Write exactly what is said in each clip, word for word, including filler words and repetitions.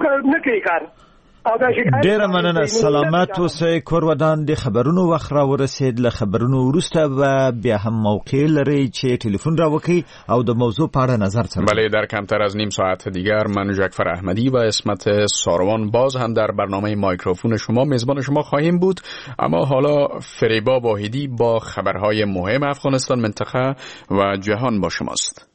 نه کوي کار. ډیره مننه، سلامت اوسئ. کور ودان. د خبرونو وخت را ورسید. له خبرونو وروسته به بیا هم موقع لرئ چې ټلیفون را وکړئ او د موضوع په اړه نظر څرګند. بله، در کمتر از نیم ساعت دیگر من جعفر احمدی و عصمت ساروان باز هم در برنامه مایکروفون شما میزبان شما خواهیم بود. اما حالا فریبا واحدی با خبرهای مهم افغانستان، منطقه و جهان با شماست.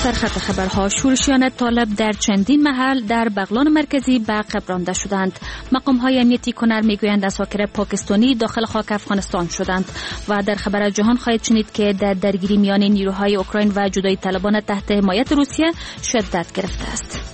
سرخط خبرها: شورشیان طالب در چندین محل در بغلان مرکزی به عقب رانده شدند. مقام های امنیتی کنر میگویند عساکر پاکستانی داخل خاک افغانستان شدند. و در خبر جهان خواهید شنید که در درگیری میان نیروهای اوکراین و جدایی طلبان تحت حمایت روسیه شدت گرفته است.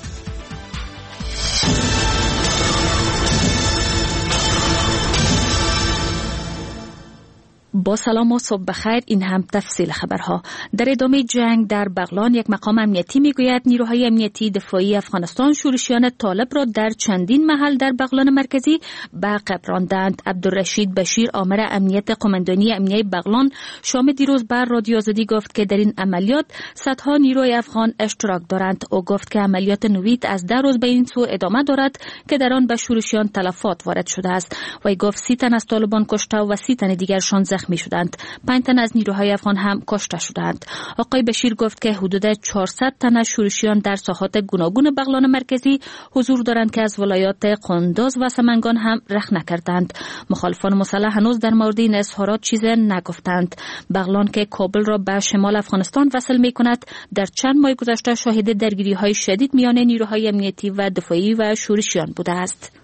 با سلام و صبح بخیر. این هم تفصیل خبرها. در ادامه جنگ در بغلان یک مقام امنیتی میگوید نیروهای امنیتی دفاعی افغانستان شورشیان طالب را در چندین محل در بغلان مرکزی به عقب راندند. عبدالرشید بشیر آمر امنیت قماندانی امنیه بغلان شام دیروز بر رادیو آزادی گفت که در این عملیات صدها نیروی افغان اشتراک دارند. او گفت که عملیات نوید از ده روز به این سو ادامه دارد که در آن به شورشیان تلفات وارد شده است. وی گفت سی تن از طالبان کشته و سی تن دیگرشان زخمی شدند. پنج تن از نیروهای افغان هم کشته شدند. آقای بشیر گفت که حدود چهارصد تن از شورشیان در ساحات گوناگون بغلان مرکزی حضور دارند که از ولایات قندوز و سمنگان هم رخ نکردند. مخالفان مسلح هنوز در مورد این اظهارات چیز نگفتند. بغلان که کابل را به شمال افغانستان وصل می کند در چند ماه گذشته شاهد درگیری های شدید میان نیروهای امنیتی و دفاعی و شورشیان بوده است.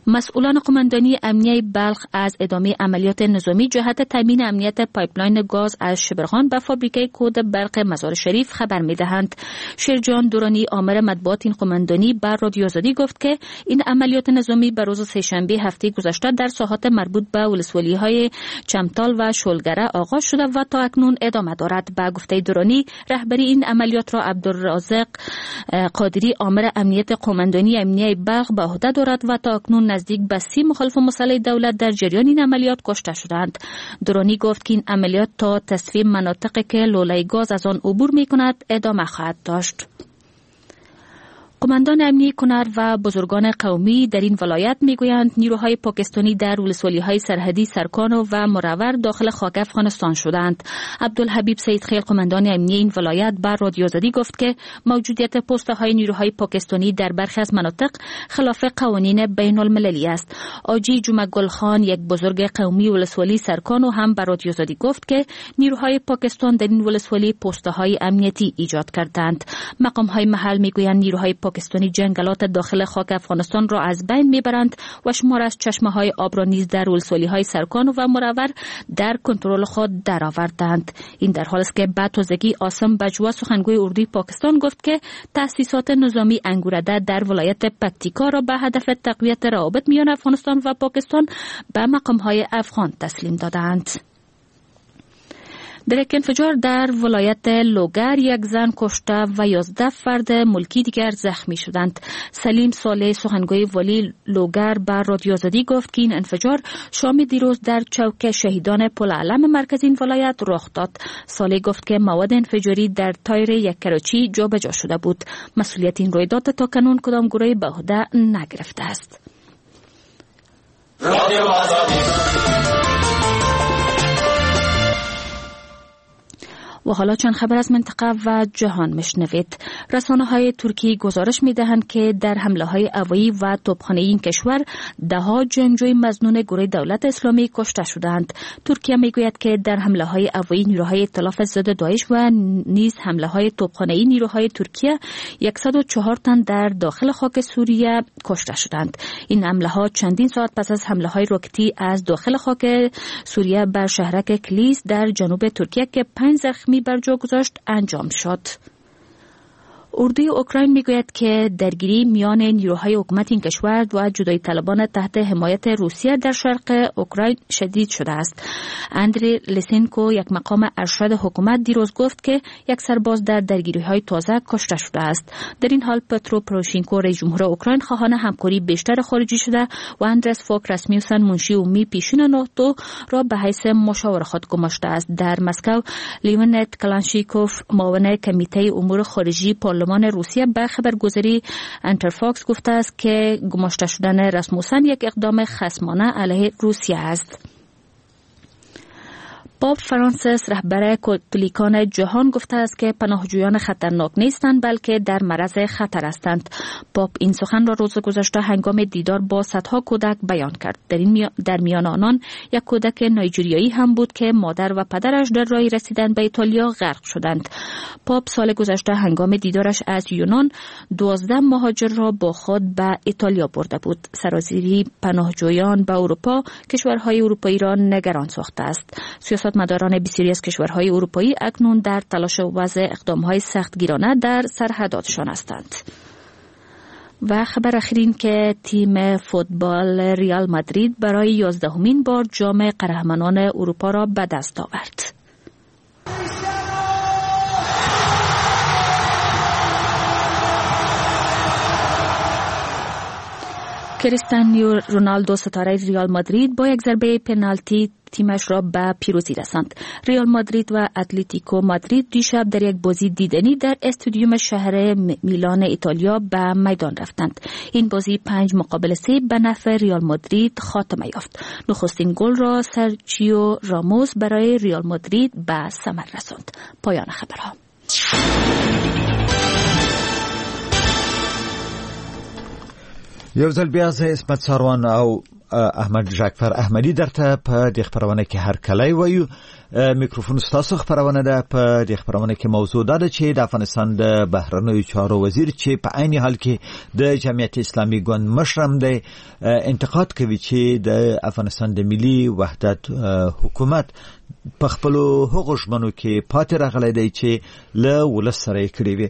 مسئولان قماندانی امنیه بلخ از ادامه عملیات نظامی جهت تامین امنیت پایپلاین گاز از شبرغان به فابریکه کود برق مزار شریف خبر می‌دهند. شیرجان دورانی آمر مطبوعات این قماندانی بر رادیو آزادی گفت که این عملیات نظامی به روز سه‌شنبه هفته گذشته در ساحات مربوط به ولسوالی‌های چمتال و شولگره آغاز شده و تا اکنون ادامه دارد. به گفته دورانی رهبری این عملیات را عبدالرازق قادری آمر امنیت قماندانی امنیه بلخ به عهده دارد و تا اکنون نزدیک به سی مخالف مسلح دولت در جریان این عملیات کشته شدند. درانی گفت که این عملیات تا تصفیه مناطقی که لوله گاز از آن عبور می کند ادامه خواهد داشت. قماندان امنی کنر و بزرگان قومی در این ولایت میگویند نیروهای پاکستانی در ولسوالی‌های سرحدی سرکان و مرور داخل خاک افغانستان شدند. عبدالحبیب سید خیل قماندان امنی این ولایت بر رادیو آزادی گفت که موجودیت پسته‌های نیروهای پاکستانی در برخی از مناطق خلاف قوانین بین المللی است. آجی جمعه گل خان یک بزرگ قومی ولسوالی سرکان و هم بر رادیو آزادی گفت که نیروهای پاکستان در این ولسوالی پسته‌های امنیتی ایجاد کردند. مقام‌های محل میگویند نیروهای پاکستانی جنگلات داخل خاک افغانستان را از بین میبرند و شمار از چشمه های آب را نیز در ولسوالی های سرکان و مرور در کنترل خود درآوردند. این در حال است که بعد تازگی عاصم بجوا سخنگوی اردوی پاکستان گفت که تأسیسات نظامی انگورده در ولایت پکتیکا را به هدف تقویت روابط میان افغانستان و پاکستان به مقام های افغان تسلیم دادند. در یک انفجار در ولایت لوگر یک زن کشته و یازده فرد ملکی دیگر زخمی شدند. سلیم صالح سخنگوی والی لوگر بر رادیو آزادی گفت که این انفجار شام دیروز در چوک شهیدان پل علم مرکز این ولایت رخ داد. صالح گفت که مواد انفجاری در تایر یک کراچی جابجا شده بود. مسئولیت این رویداد تا کنون کدام گروه به عهده نگرفته است. رادیو آزادی. و حالا چند خبر از منطقه و جهان مشنوید. رسانه های ترکی گزارش می دهند که در حمله های هوایی و توپخانه این کشور ده ها جنگجوی مظنون گروه دولت اسلامی کشته شدند. ترکیه می گوید که در حمله های هوایی نیروهای ائتلاف ضد داعش و نیز حمله های توپخانه نیروهای ترکیه صد و چهار تن در داخل خاک سوریه کشته شدند. این حمله ها چندین ساعت پس از حمله های راکتی از داخل خاک سوریه بر شهرک کلیس در جنوب ترکیه که پنج زخمی بر جا گذاشت انجام شد. اردوی اوکراین میگوید که درگیری میان نیروهای حکومت این کشور و جدایی طلبان تحت حمایت روسیه در شرق اوکراین شدید شده است. اندری لسینکو، یک مقام ارشد حکومت، دیروز گفت که یک سرباز در درگیری‌های تازه کشته شده است. در این حال پترو پروشینکو، رئیس جمهور اوکراین، خواهان همکاری بیشتر خارجی شده و اندرس فوک رسمیوسن، منشی عمومی پیشین ناتو را به حیث مشاور خود گماشته است. در مسکو لیونت کلانشیکوف، معاون کمیته امور خارجی پارلمان روسیه، به خبرگزاری انترفاکس گفته است که گماشته شدن رسموسن یک اقدام خصمانه علیه روسیه است. پاپ فرانسیس، رهبر کاتولیکان جهان، گفته است که پناهجویان خطرناک نیستند، بلکه در معرض خطر هستند. پاپ این سخن را روز گذشته هنگام دیدار با صدها کودک بیان کرد. در این در میان آنان یک کودک نایجریایی هم بود که مادر و پدرش در راه رسیدن به ایتالیا غرق شدند. پاپ سال گذشته هنگام دیدارش از یونان دوازده مهاجر را با خود به ایتالیا برده بود. سرازیری پناهجویان به اروپا کشورهای اروپایی را نگران ساخته است. سیاست مداران بسیاری از کشورهای اروپایی اکنون در تلاش وضع اقدامهای سختگیرانه در سرحداتشان هستند. و خبر اخیر که تیم فوتبال ریال مادرید برای یازدهمین بار جام قهرمانان اروپا را به دست آورد. کریستیانو رونالدو، ستاره ریال مادرید، با یک ضربه پنالتی تیمش را به پیروزی رساند. ریال مادرید و اتلتیکو مادرید دیشب در یک بازی دیدنی در استادیوم شهر میلان ایتالیا به میدان رفتند. این بازی پنج مقابل سه به نفع ریال مادرید خاتمه یافت. نخستین گل را سرچیو راموس برای ریال مادرید به ثمر رساند. پایان خبرها. یو ځل بیا زه عصمت ساروان او احمد جعفر احمدي درته په دې خپرونه کې هرکلی وایو. میکروفون ستاسو خپرونه ده. په دې خپرونه کې موضوع دا ده چې د افغانستان د بهرنیو چارو وزیر، چې په عین حال کې د جمعیت اسلامي ګوند مشر هم دی، انتقاد کوي چې د افغانستان د ملي وحدت حکومت په خپلو هغو ژمنو کې پاتې راغلی دی چې له ولس سره یې کړې وې.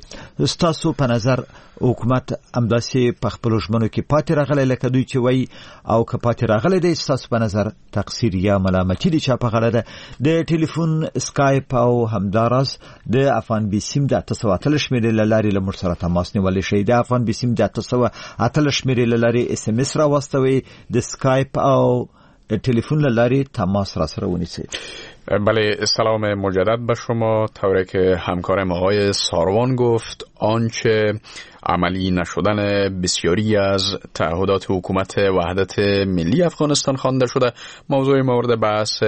ستاسو په نظر حکومت همداسې په خپلو ژمنو کې پاتې راغلی لکه دوی چې وایي، او که پاتې راغلی دی ستاسو په نظر تقصیر یا ملامتي د چا په غاړه ده؟ د ټلیفون، سکایپ او همداراز د افغان بیسیم د اته سوه اتلس شمېرې له لارې له موږ سره تماس نیولی شئ. د افغان بیسیم د اته سوه اتلس شمېرې له لارې اس ام اس راواستوئ. د سکایپ او تلفن له لارې تماس را سره ونیسئ. بله، سلام مجدد به شما. طوری که همکارم آقای ساروان گفت، آنچه عملی نشدن بسیاری از تعهدات حکومت وحدت ملی افغانستان خوانده شده موضوع مورد بحث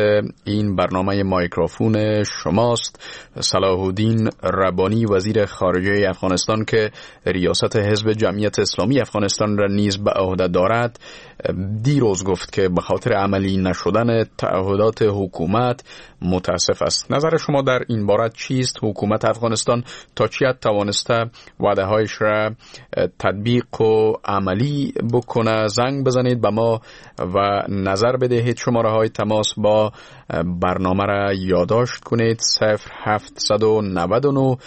این برنامه مایکروفون شماست. صلاح الدین ربانی، وزیر خارجه افغانستان که ریاست حزب جمعیت اسلامی افغانستان را نیز به عهده دارد، دیروز گفت که به خاطر عملی نشدن تعهدات حکومت متاسف است. نظر شما در این باره چیست؟ حکومت افغانستان تا چه حد توانسته وعده هایش را تطبیق و عملی بکنه؟ زنگ بزنید به ما و نظر بدهید. شماره های تماس با برنامه را یادداشت کنید: صفر هفت نه نه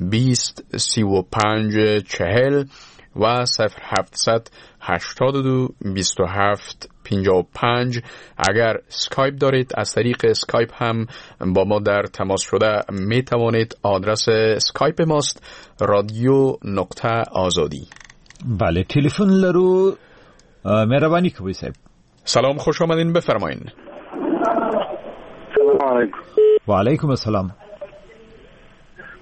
بیست سی و پنج چهل و صفر هفت هشت دو بیست و هفت پنجاه و پنج. اگر اسکایپ دارید از طریق اسکایپ هم با ما در تماس شده می توانید. آدرس اسکایپ ماست رادیو نقطه آزادی. بله، تلفن لرو. مهربانی کوي صاحب. سلام، خوش آمدین، بفرمایین. سلام علیکم. و علیکم السلام.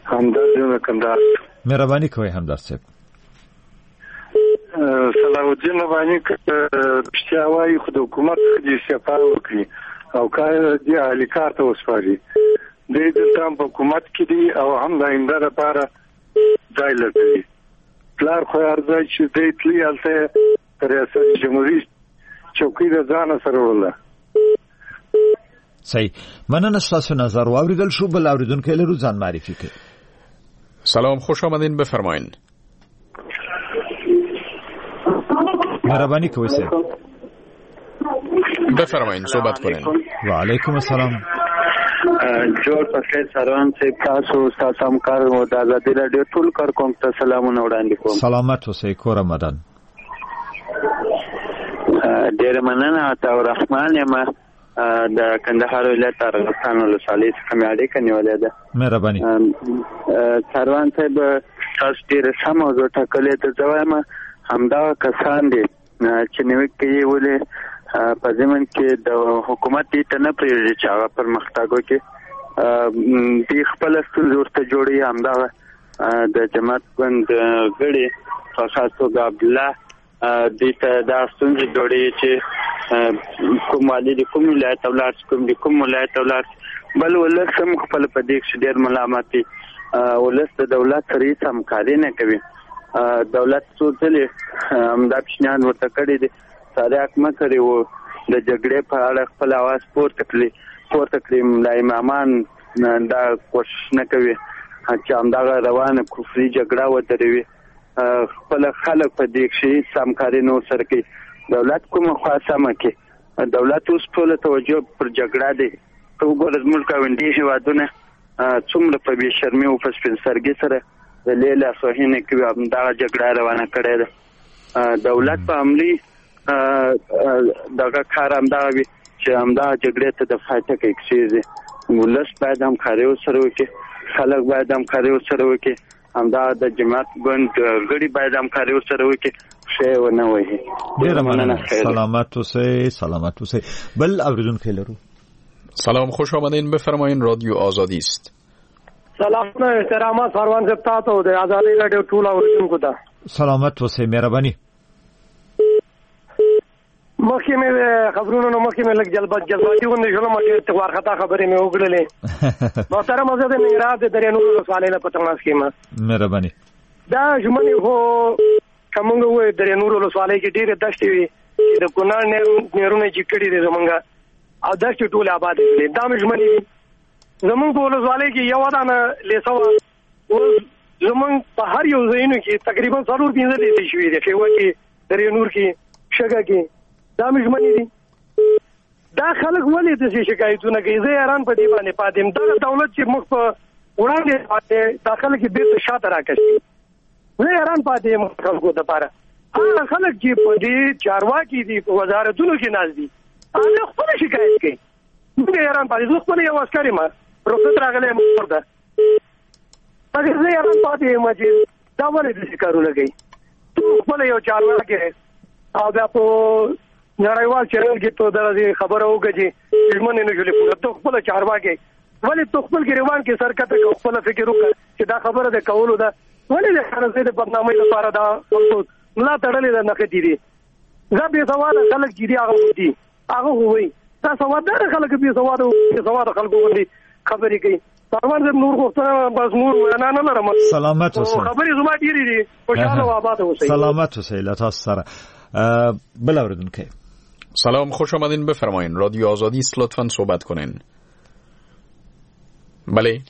همدرد جون کندهار. مهربانی کوي همدرد صاحب. صلاح الدین رباني رښتیا وایي، خو د حکومت دې استعفا وکړي او کار دې اهلي کار ته وسپاري. دوی دلته هم په حکومت کې دي او هم د آینده لپاره ځای لټوي. پلار خو هر ځای چې دی تللی هلته یې ریاست جمهوري چوکۍ د ځانه سره وړله. صحیح، مننه ستاسو نظر واورېدل شو. بل اورېدونکی لرو، ځان معرفي کړئ. سلام، خوش آمدین، بفرمایین. مهربانی کوئ صاحب. بفرمایین، صحبت کنین. و علیکم السلام. جوړ په خیر سروان صاحب، تاسو ستاسو همکار او د ازادي راډیو ټول کارکونکو ته سلامونه وړاندې کوم. سلامت اوسئ، کور آمدن. ډېره مننه. عطاالرحمن یم، د کندهار ولایت ارغستان ولسوالۍ څخه مې اړیکه نیولې ده. مهرباني. سروان صاحب، تاسو ډېره ښه موضوع ټاکلې ده. زه وایم همدغه کسان دي چې نیوکې کوي، ولې په ضمن کې د حکومت دې ته نه پرېږدي چې هغه پرمختګ وکړي، دوی خپله ستونزې ورته جوړوي. همدغه د جماعت ګوند غړي په خاص توګه عبدالله دوی ته دا ستونزې جوړوي چې کوم والي د کوم ولایت ته ولاړ شي، کوم د کوم ولایت ته ولاړ شي. بل ولس هم خپل په دې کښې ډېر ملامت دی. ولس د دولت سره هېڅ همکاري نه کوي. دولت څو ځلې همدا پیشنهاد ورته کړی دی، تریاک مه کړي و د جګړې په اړه خپل اواز پورته کړي پورته کړي. ملا امامان دا کوشش نه کوي چې همدغه روانه کفري جګړه ودروي. خپل خلک په دې کښې هېڅ همکاري نه ورسره کوي. دولت کومه خوا سمه کړي؟ دولت اوس ټوله توجه پر جګړه دی. ته وګوره زموږ ګاونډي هېوادونه څومره په بې شرمي او په سپین سترګي سره د لې لاسوهنې کوي، همدغه جګړه روانه کړې ده. دولت په عملي دغه کار همدغه وي چې همدغه جګړې ته د پای ټکی کښېږدي. ولس باید همکاري ورسره وکړي، خلک باید همکاري ورسره وکړي، همدا د جماعت ګوند غړي باید همکاري ورسره وکړي، ښه یې ونه وهي. ډېره مننه، سلامت اوسئ. سلامت اوسئ. بل اورېدونکی لرو. سلام، خوش آمدین، بفرمایین. رادیو آزادی است. سلامونه، احترامات سروان صاحب تاته او د ازادي راډیو ټول اورېدونکو ته. سلامت اوسئ، مهرباني. مخکې مې خبرونو نو مخکې مې لږ جلبت جذباتي غوندې شولم، ډېر وارخطا خبرې مې وکړلې. محترم، زه د ننګرهار د درې نورو ولسوالۍ نه په تماس کې یم. مهرباني. دا ژمنې خو که موږ ووایو درې نورو ولسوالۍ کې ډېرې دښتې وي چې د کونړ نهرونه چې کړي دي زموږ، او دښتې ټولې آبادې کړې، دا مې ژمنې دي. زموږ په ولسوالۍ کې یوه دانه لیسه وه، اوس زموږ په هر یو ځایونو کې تقریبا څلور پنځه لیسې شوې دي، ښېوه کې، درې نور کې، شګه کې. دا مې ژمنې دي. دا خلک ولې داسې شکایتونه کوي؟ زه حیران په دې باندې پاتې یم. دغه دولت چې موږ په وړاندې پاتې، دا خلک یې بېرته شاته راکشي. زه حیران پاتې یم خلکو دپاره. هغه خلک چې په دې چارواکي دي، په وزارتونو کې ناست دي، هغه خپله شکایت کوي. موږ حیران پاتې. زه خپله یو عسکر یم، رخصت راغلی یم کور ته، مګر زه حیران پاتې یم چې دا ولې داسې کارونه کوي. ته خپله یو چارواکی او بیا په نړیوال چینل کې ته دغسې خبره وکړه چې ژمنې نه شولې پوره. ته خپله چارواکی ولې ته خپل ګریوان کې سر کته کړه، خپله فکر وکړه چې دا خبره د کولو ده. ولې د خرڅې د بدنامۍ لپاره دا خلکو ملا تړلې ده، نښتې دي؟ زه بې سواده خلک چې دي هغه دي، هغه خو وایي دا سوادداره خلک بې سواده بې سواده خلکو غوندې خبرې کوي. سروان صاحب، نور غوښتنه بس نور وینا نه لرم. سلامت اوسئ. خبرې زما ډېرې دي. خوشحاله او آباد اوسئ. سلامت اوسئ. له تاسو سره. بل اورېدونکی. سلام، خوش آمدین، بفرمایین. رادیو آزادی است، لطفاً صحبت کنین. بله.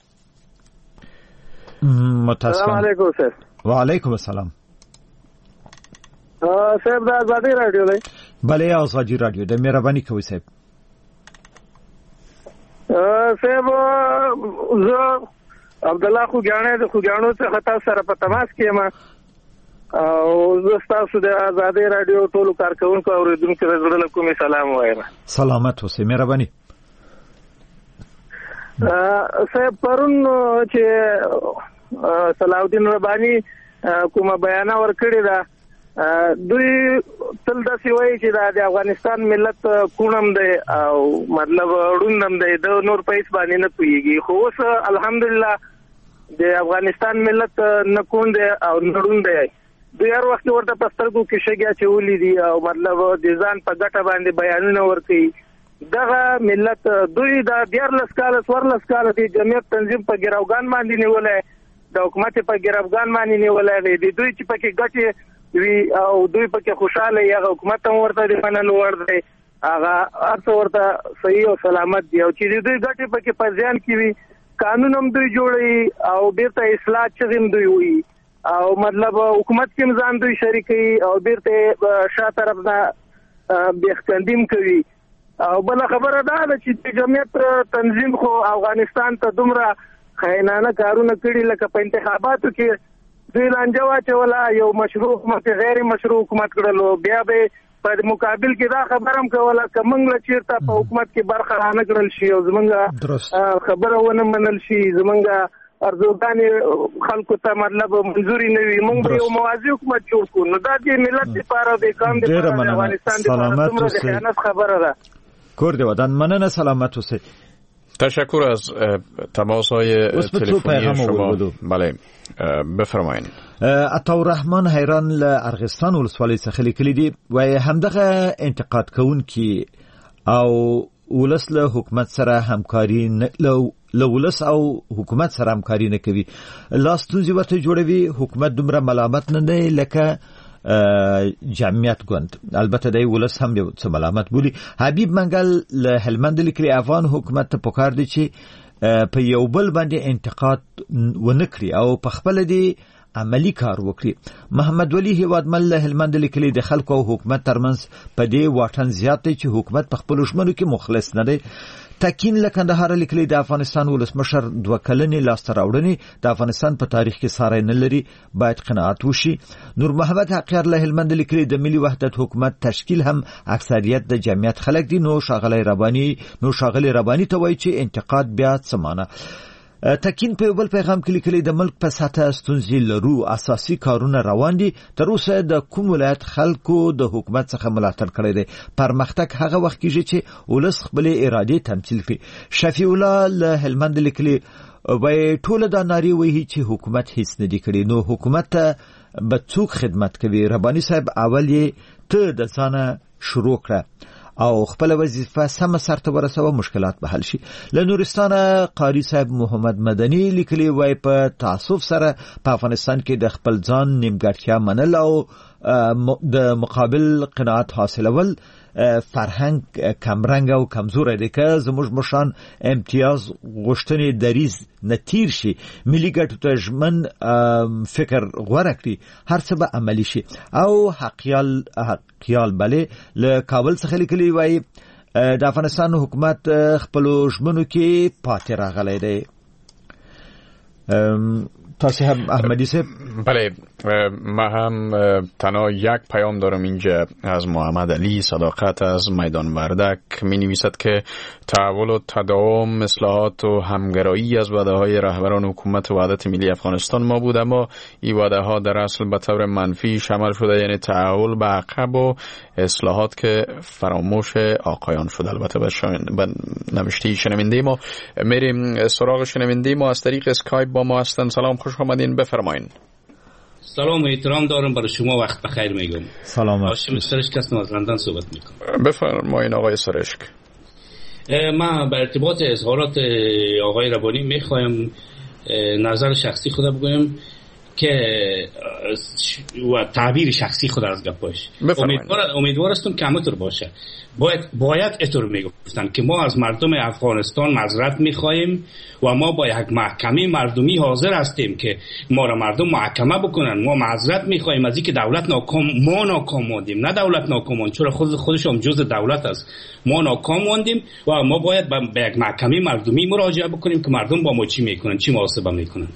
متاسفم. سلام علیکم سر. و علیکم السلام. صاحب، د ازادي راډیو دی؟ بله، ازادي راډیو ده. مهرباني کوئ صاحب. صاحب، زه عبدالله خوږیاڼی د خوږیاڼو څخه تاسو سره په تماس کې یم، او زه ستاسو د ازادي راډیو ټولو کارکوونکو او اورېدونکو ته زړه له کومې سلام وایم. سلامت اوسئ، مهرباني. صاحب، پرون چې صلاح الدین رباني کومه بیانه ورکړې ده، دوی تل داسې وایي چې دا د افغانستان ملت کوڼم دی او مطلب ړوند هم دی، د نور په هېڅ باندې نه پوهېږي. خو اوس الحمدلله د افغانستان ملت نه کوڼ دی او نه ړوند دی. دوی هر وخت ورته په سترګو کې شګې اچولې دي او مطلب د ځان په ګټه باندې بیانونه ورکوي. دغه ملت دوی دا دیارلس کاله څوارلس کاله د جمعیت تنظیم په ګروګان باندې نیولی، د حکومت په ګروګان باندې نیولی دی. د دوی چې پکې ګټې وي او دوی پکې خوشحاله وي، هغه حکومت هم ورته د منلو وړ دی، هغه هر څه ورته صحیح او سلامت دی. او چې د دوی ګټې پکې په زیان کې وي، قانون هم دوی جوړوي او بیرته اصلاح چغې هم دوی وایي او مطلب حکومت کې هم ځان دوی شریکوي او بیرته شا طرف نه بېخکندیم کوي. او بله خبره دا ده چې د جمعیت تنظیم خو افغانستان ته دومره خاینانه کارونه کړي، لکه په انتخاباتو کې دوی لانجه واچوله، یو مشروع حکومت غیر مشروع حکومت کړلو. بیا به په مقابل کې دا خبره هم کوله که موږ له چېرته په حکومت کې برخه رانه کړل شي او زموږ خبره ونه منل شي، زموږ ارزوګانې خلکو ته مطلب منظوري نه وي، موږ به یو موازي حکومت جوړ کړو. نو دا د ملت لپاره، د قوم لپاره، د افغانستان لپاره څومره د خیانت خبره ده. کور دې ودان، مننه، سلامت اوسئ. تشکر از تماس های تلفنی شما. بله بفرمایید. عطاالرحمن حیران له ارغستان ولسوالۍ څخه لیکلي دي، وایي همدغه انتقاد کوونکي او ولس له حکومت سره همکاري نه له ولس او حکومت سره همکاري نه کوي، لا ستونزې ورته جوړوي. حکومت دومره ملامت نه دی لکه جمعیت ګوند، البته دی ولس هم یو څه ملامت بولي. حبیب منګل له هلمند لیکلي، افغان حکومت ته پکار دی چې په یو بل باندې انتقاد ونه کړي او په خپله دې عملی کار وکړي. محمد ولی هیوادمل له هلمند لیکلي، د خلکو او حکومت ترمنځ په دې واټن زیات دی چې حکومت په خپلو ژمنو کې مخلص نه دی. تکین له کندهاره لیکلي، د افغانستان ولسمشر دوه کلنې لاسته راوړنې د افغانستان په تاریخ کې ساری نه لري، باید قناعت وشي. نور محمد حقیار له هلمند لیکلي، د ملي وحدت حکومت تشکیل هم اکثریت د جمعیت خلک دي، نو ښاغلی رباني نو ښاغلی رباني ته وایي چې انتقاد بیا څه معنی. تکین په یو بل پیغام کې لیکلي، د ملک په سطح ستونزې لرو، اساسي کارونه روان دي، تر اوسه د کوم ولایت خلکو د حکومت څخه ملاتړ کړی دی، پرمختګ هغه وخت کیږي چې ولس خپلې ارادې تمثیل کړي. شفیع الله له هلمند لیکلي، وایي ټوله دا نارې وهي چې حکومت هیڅ نه دي کړي، نو حکومت ته به څوک خدمت کوي؟ رباني صاحب اول یې ته د ځانه شروع کړه او خپل وظیفه سم سرته ورسوه، مشکلات به حل شي. له نورستانه قاری صاحب محمد مدني لیکلي، وایي په تاسف سره په افغانستان کې د خپل ځان نیمګړتیا منل او د مقابل قناعت حاصلول فرهنګ کمرنګ او کمزوری دی. که زموږ مشران امتیاز غوښتنې دریځ نه تیر شي، ملي ګټو ته ژمن فکر غوره کړي، هر څه به عملي شي. او حقیال حقیال بله له کابل څخه لیکلي، وایي د افغانستان حکومت خپلو ژمنو کې پاتې راغلی دی. تاسو هم احمدی صاحب؟ بله، من هم تنها یک پیام دارم اینجا از محمد علی صداقت از میدان وردک. می نویسد که تحول و تداوم، اصلاحات و همگرایی از وعده های رهبران حکومت وحدت ملی افغانستان ما بود، اما این وعده ها در اصل به طور منفی شامل شده، یعنی تحول به عقب و اصلاحات که فراموش آقایان شد. البته به نوشته شنونده ما میریم سراغ شنونده ما از طریق اسکایپ با ما هستند. سلام، خوش آمدین، بفرمایین. سلام و احترام دارم برای شما، وقت بخیر میگم. سلام. هاشم سرشک هستم، از لندن صحبت میکنم. بفرمایین آقای سرشک. من به ارتباط اظهارات آقای ربانی میخوایم نظر شخصی خود بگویم که و تعبیر شخصی خود از گپاش. امیدوار امیدوار هستم که همونطور باشه. باید باید اینطور میگفتن که ما از مردم افغانستان معذرت میخواهیم و ما با یک محکمه مردمی حاضر هستیم که ما را مردم محاکمه بکنن. ما معذرت میخواهیم از اینکه دولت ناکام، ما ناکام ماندیم، نه دولت ناکام ماند، چرا خود خودش هم جزء دولت است. ما ناکام ماندیم و ما باید به یک محکمه مردمی مراجعه بکنیم که مردم با ما چی میکنن، چی محاسبه میکنن.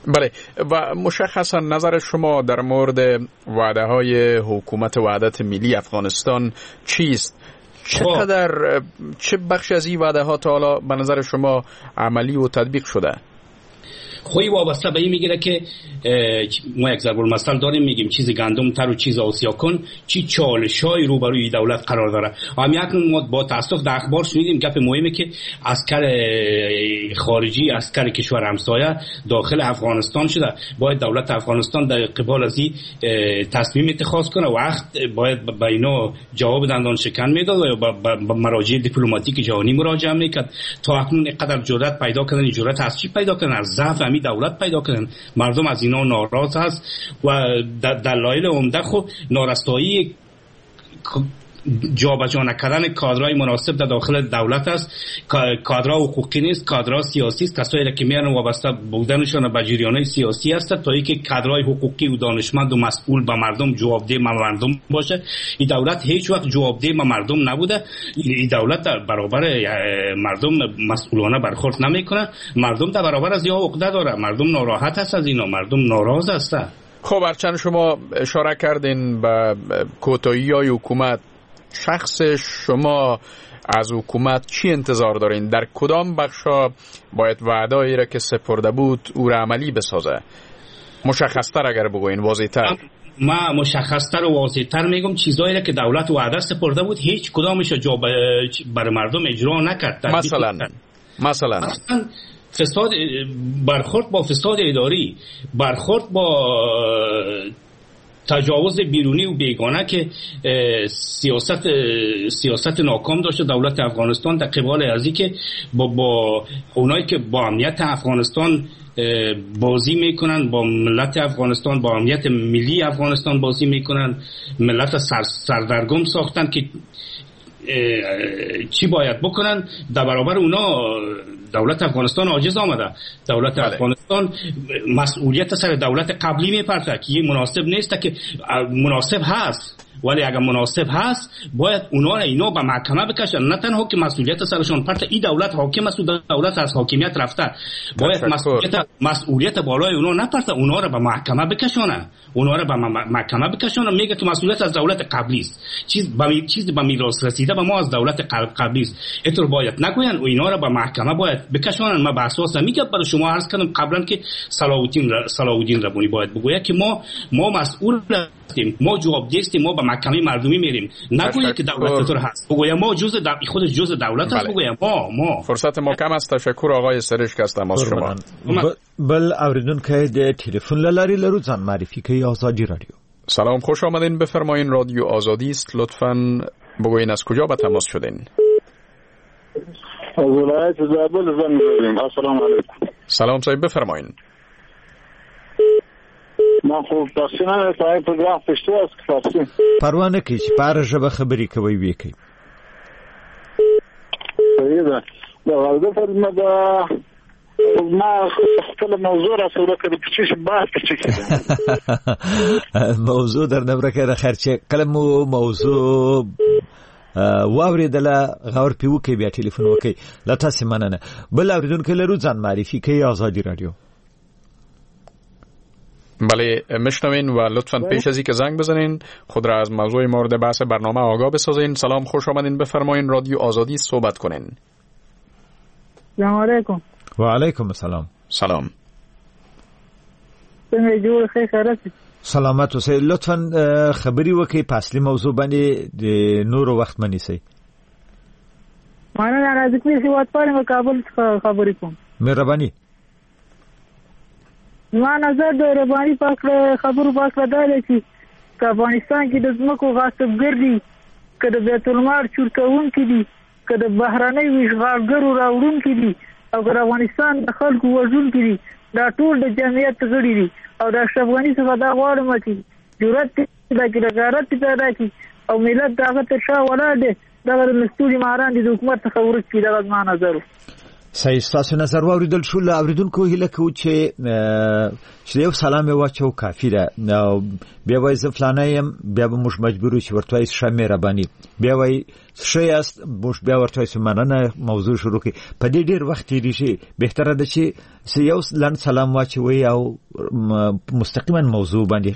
بله، و مشخصا نظر شما در مورد وعده های حکومت وحدت ملی افغانستان چیست؟ چقدر چه بخش از این وعده ها تا حالا به نظر شما عملی و تطبیق شده؟ خوی وابسته به این میگیره که ما یک ضرب المثل داریم، میگیم چیز گندم تر و چیز آسیا کن، چی چالشای روبروی دولت قرار داره. هم یک ما با تاسف در اخبار شنیدیم گپ مهمه که عسکر خارجی، عسکر کشور همسایه داخل افغانستان شده. باید دولت افغانستان در قبال از این تصمیم اتخاذ کنه. وقت باید به اینا جواب دندان شکن میداد و به مراجع دیپلماتیک جهانی مراجعه میکرد. تا اکنون اینقدر جرأت پیدا کردن، جرأت از چی پیدا کردن؟ از ضعف همی دولت پیدا کردن. مردم از اینا ناراض هست و دلایل عمده خب نارسایی جابجا نکردن کادرهای مناسب در داخل دولت است. کادرها حقوقی نیست، کادرها سیاسی است. کسایی که میان وابسته بودنشان به جریان‌های سیاسی است تا اینکه کادرهای حقوقی و دانشمند و مسئول به مردم جوابده مردم باشه. این دولت هیچ وقت جوابده به مردم نبوده. این دولت در برابر مردم مسئولانه برخورد نمیکنه. مردم در برابر از یا عقده داره، مردم ناراحت است از اینا، مردم ناراض هستند. خب هرچند شما اشاره کردین به کوتاهی‌های حکومت، شخص شما از حکومت چی انتظار دارین؟ در کدام بخشا باید وعده‌ای را که سپرده بود او را عملی بسازه؟ مشخصتر اگر بگوین، واضح‌تر. ما مشخصتر و واضح‌تر میگم چیزایی را که دولت وعده سپرده بود هیچ کدامش جا بر مردم اجرا نکرد. مثلا مثلا مثلا فساد، برخورد با فساد اداری، برخورد با تجاوز بیرونی و بیگانه که سیاست سیاست ناکام داشته دولت افغانستان در قبال ازی که با با اونایی که با امنیت افغانستان بازی میکنن، با ملت افغانستان، با امنیت ملی افغانستان بازی میکنن، ملت سر سردرگم ساختن که چی باید بکنن. در برابر اونا دولت افغانستان عاجز آمده. دولت بله. افغانستان مسئولیت سر دولت قبلی میپرته که یه مناسب نیست، که مناسب هست، ولی اگر مناسب هست باید اونا را اینا به محکمه بکشن، نه تنها که مسئولیت سرشون پرته. این دولت حاکم است و دولت از حاکمیت رفته، باید مسئولیت مسئولیت بالای اونا نپرته، اونا را به محکمه بکشونه، اونا را به محکمه بکشونه. میگه که مسئولیت از دولت قبلی است، چیز به چیز به میراث رسیده به ما از دولت قبلی است. اینطور باید نگوین و اینا را به محکمه باید بکشونن. ما به اساس میگم برای شما عرض کردم قبلا که صلاح الدین صلاح الدین ربانی باید بگوید که ما ما مسئول هستیم، ما جوابده هستیم، ما به محکمه مردمی میریم. نگوید که دولت طور هست، بگوید ما جزء دو... خودش جزء دولت است. بگوید ما ما فرصت ما کم است. تشکر آقای سرشک از تماس شما. بل اوریدونکی د تلفن له لارې لرو، ځان معرفي کوي ازادي رادیو. سلام، خوش آمدین، بفرمایین. رادیو آزادی است، لطفاً بگوین از کجا به تماس شدین؟ از ولایت زابل زنگ زدیم. السلام علیکم. سلام صاحب، بفرمایین. ما خو فارسي نه صاحب پروګرام پښتو است که فارسي؟ پروا نه کوي چې په هره ژبه خبرې کوئ ویې کوي. صحیح ده. د غرض فرمه ده ما خپل موضوع را سره کړ چې بحث پکې موضوع در نه ورکه د خیر چې کله مو موضوع واورېدله غور پې وکړئ، بیا ټلیفون وکړئ. له تاسې مننه. بل اورېدونکی لرو، ځان معرفي کوي ازادي رادیو. بله میشنوین و لطفاً پیش از اینکه زنگ بزنین خود را از موضوع مورد بحث برنامه آگاه بسازین. سلام، خوش آمدین، بفرمایین. رادیو آزادی صحبت کنین. سلام علیکم. و علیکم السلام. سلام. څنګه جوړ ښه خیرت؟ سلامت اوسئ. لطفاً خبرې وکړئ په اصلي موضوع باندې، د نورو وخت مه نیسئ. مننه. رازقي هیوادپال یم، کابل څخه خبرې کوم. مهرباني. زما نظر د رباني په هکله خبرو په هکله دا دی چې که افغانستان کې د ځمکو غاصبګر دي، که د بیت المال چور کوونکي دي، که د بهرنیو اشغالګرو راوړونکي دي، او که د افغانستان د خلکو وژونکي دي، دا ټول د جمعیت غړي دي. او د اشرف غني څخه دا غواړم چې جرأت پیدا کړي، غیرت پیدا کړي، او ملت د هغه تر شا ولاړ دی. دغه د مستوري ماران دي د حکومت څخه ورک کړي. دغه زما نظر و. صحیح، ستاسو نظر واورېدل شو. له اورېدونکو هیله کوو چې چې یو سلام یې واچوو کافي ده. بیا وایي زه فلانی یم، بیا به موږ مجبور یو چې ورته وایي ښه مهرباني، بیا وایي ښه یاست، موږ بیا ورته وایو مننه، موضوع شروع کړي. په دې ډېر وخت تېرېږي. بهتره ده چې یو لنډ سلام واچوئ او مستقیما موضوع باندې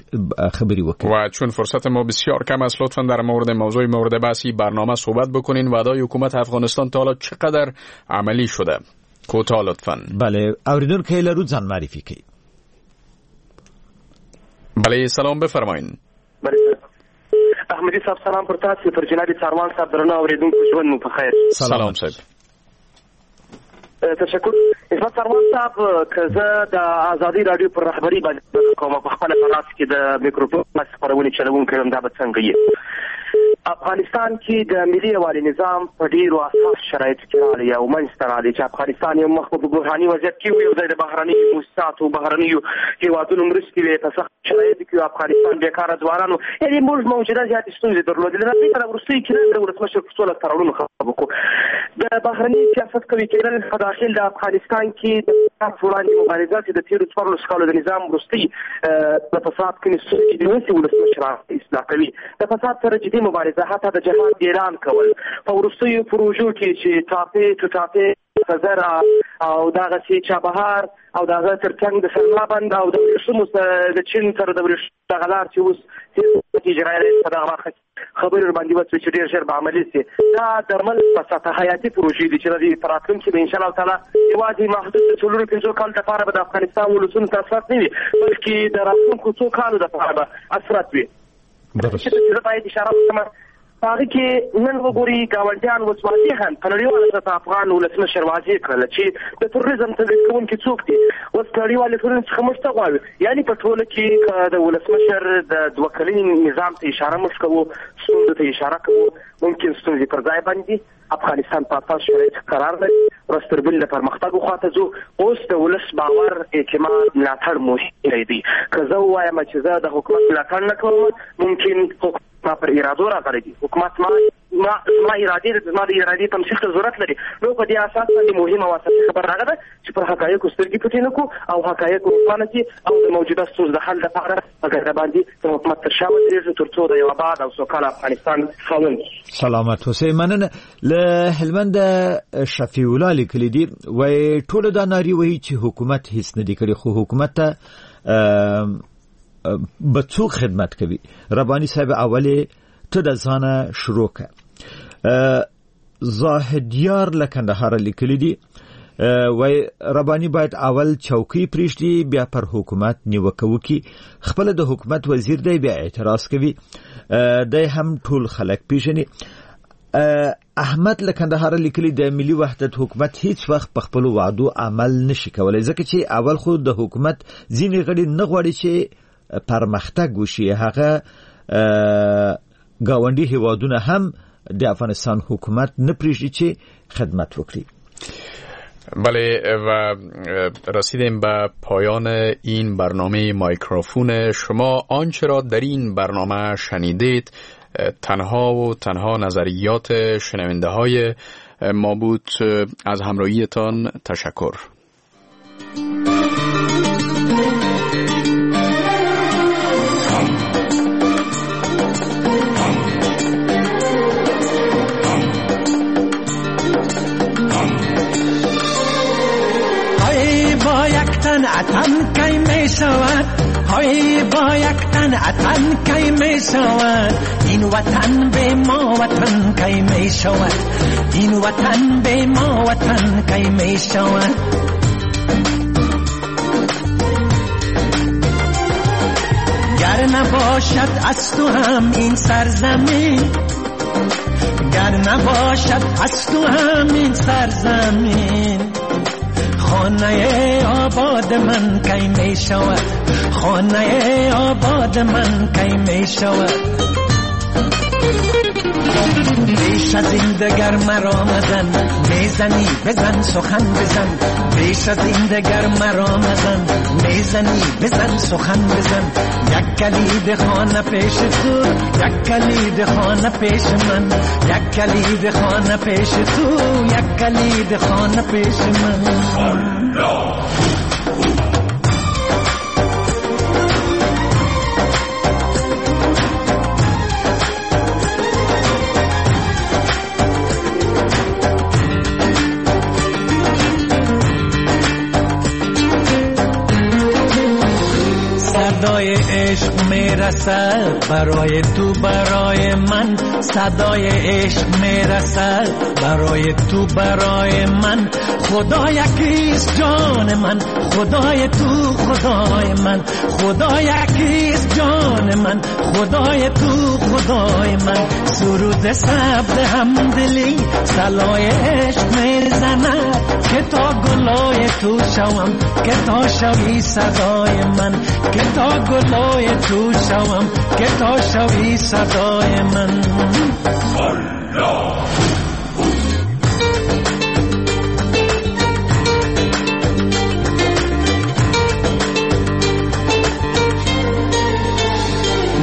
خبرې وکړئ. و چون فرصت ما بسیار کم است، لطفاً در مورد موضوع مورد بحثی برنامه صحبت بکنین. وعده‌های حکومت افغانستان تا حالا چقدر عملی شده؟ کوتاه لطفاً. بله، اوریدونکی لرو، ځان معرفي کوي. بله، سلام، بفرمایین. بله احمدي صاحب سلام پر تاسو، پر جناب څاروان صاحب، درنو اوریدونکو ژوند مو په خیر. سلام صاحب. تشکر. عصمت څاروان صاحب، که زه د ازادي رادیو پر رهبري باندې کوم، په خپل په لاس کې د میکروفون خپرونې چلوونکی یم، دا به څنګه وي؟ افغانستان کې د ملي یووالي نظام په ډیرو اساس شرایطو کې راغلی او منځته راغلی چې افغانستان یو مخ په بحراني وضعیت کې و، یو ځای د بهرنیو موسساتو بهرنیو هیوادونو مرستې وې، په سخت شرایطو کې افغانستان بېکاره ځوانانو، یعنې موږ موجوده زیاتې ستونزې درلودلې. د دې سره وروستیو کې نن د ولسمشر په څو لاسته راوړنو خبرې وکړو. د بهرني سیاست قوي کېدل په داخل د افغانستان کې د فساد وړاندې مبارزه چې د تېرو څوارلس کالو د نظام وروستۍ د فساد کومې ستونزې دي اوس یې ولسمشر اصلاح کوي. د فساد سره جدي مبارزه، حتی د جهاد اعلان کول، په وروستیو پروژو کې چې ټاپې ټوټاپې خزره او دغسې چابهار او د هغه ترڅنګ د سلما بند او د ورېښمو د چین سره د ورېښمو دغه لار چې اوس اجرایي رئیس په دغه برخه کې خبرې ورباندې وشوې چې ډېر ژر به عملي شي. دا د ملک په سطح حیاتي پروژې دي چې د دې په راتلونکي به انشاءالله تعالی یوازې محدود د څلورو پنځو کالو دپاره به د افغانستان ولسونو ته اثرات نه وي، بلکې د راتلونکو څو کالو دپاره به اثرات وي. درست. زه باید اشاره وکړم په هغه کې نن وګوري ګاونډیان اوس واضحاً په نړیواله سطح افغان ولسمشر واضح کړل چې د تروریزم تولید کوونکي څوک دي. اوس نړیوالې ټولنې څخه موږ څه غواړو؟ یعنې په ټوله کې که د ولسمشر د دوه کلني نظام ته اشاره موږ کوو، ستونزو ته اشاره کوو، ممکن ستونزې پر ځای باندې افغانستان په اساس شرایط قرار لري، ورځ تر بلې د پرمختګ خواته ځو. اوس د ولس باور، اعتماد، ملاتړ مهم دی. که زه ووایم چې زه د حکومت ملاتړ نه کوم، ممکن حکومت ما پر ارادو راغلی دی، حکومت ما ما زما ارادې زما د ارادې تمثیل ته ضرورت لري. نو په دې اساس باندې مهمه او اساسي خبره هغه ده چې پر حقایقو سترګې پټې نه کړو او حقایق روښانه کړي او د موجوده ستونزو د حل لپاره په ګډه باندې د حکومت تر شا ودرېږو تر څو د یو اباد او سوکاله افغانستان خاوند. سلامت اوسئ. مننه. له هلمنده شفیع الله لیکلي دي، وایي ټوله دا نارې وهي چې حکومت هیڅ نه دي کړي، خو حکومت ته به څوک خدمت کوي؟ ربانی صاحب اولې ته د ځانه شروع کړه. زاهدیار له کندهاره لیکلي دي، وایي ربانی باید اول چوکۍ پرېږدي بیا پر حکومت نیوکه وکړي، خپله د حکومت وزیر دی بیا اعتراض کوي، دی هم ټول خلک پیژني. احمد له کندهاره لیکلي، د ملي وحدت حکومت هیڅ وخت په خپلو وعدو عمل نشي کولی، ځکه چې اول خو د حکومت ځینې غړي نه غواړي چې پرمختګ وشي، هغه ګاونډي هیوادونه هم د افغانستان حکومت نه پرېږدي چې خدمت وکړي. بله، و رسیدیم به پایان این برنامه مایکروفون شما. آنچه را در این برنامه شنیدید تنها و تنها نظریات شنونده های ما بود. از همراهیتان تشکر. اتن کی می شود، های با یک تن اتن کی می شود، این وطن به ما وطن کی می شود، این وطن به ما وطن کی می شود. گر نباشد از تو هم این سرزمین، گر نباشد از تو هم این سرزمین، خانه آباد من کی می شود، خانه آباد من کی می شود. بیش از این دگر مرا مزن، میزنی بزن سخن بزن، بیش از این دگر مرا مزن، میزنی بزن سخن بزن، یک کلید خانه پیش تو، یک کلید خانه پیش من، یک کلید خانه پیش تو، یک کلید خانه پیش من. الله. صدای عشق میرسد برای تو برای من، صدای عشق میرسد برای تو برای من، خدا یکیست جان من، خدای تو خدای من، خدا یکیست جان من، خدای تو خدای من. سرود ثبت همدلی صلای عشق میزند که تا گلای تو شوم، که تا شوی صدای من، که تا گلای تو شوم که تا شوی صدای من. الله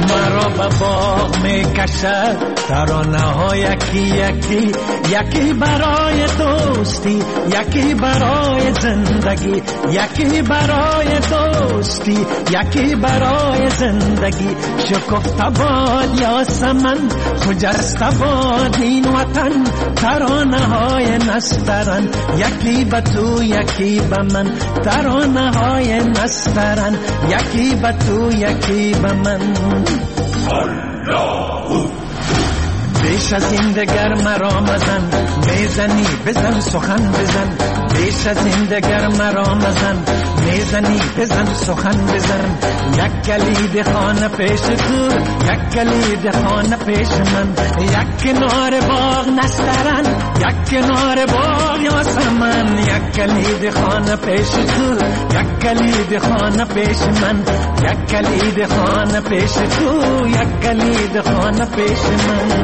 مرا به باغ می کشد ترانه ها یکی یکی، یکی برای دوستی، یکی برای زندگی، یکی برای دوستی، یکی برای زندگی. شکفته باد یاسمن، خجسته باد این وطن، ترانه های نسترن، یکی به تو یکی به من، ترانه های نسترن، یکی به تو یکی به من. الله بیش از این دگر مرا مزن، میزنی بزن سخن بزن، بیش از این دگر مرا مزن، میزنی بزن سخن بزن. یک کلید خانه پیش تو، یک کلید خانه پیش من، یک کنار باغ نسترن، یک کنار باغ یاسمن، یک کلید خانه پیش تو، یک کلید خانه پیش من، یک کلید خانه پیش تو، یک کلید خانه پیش من.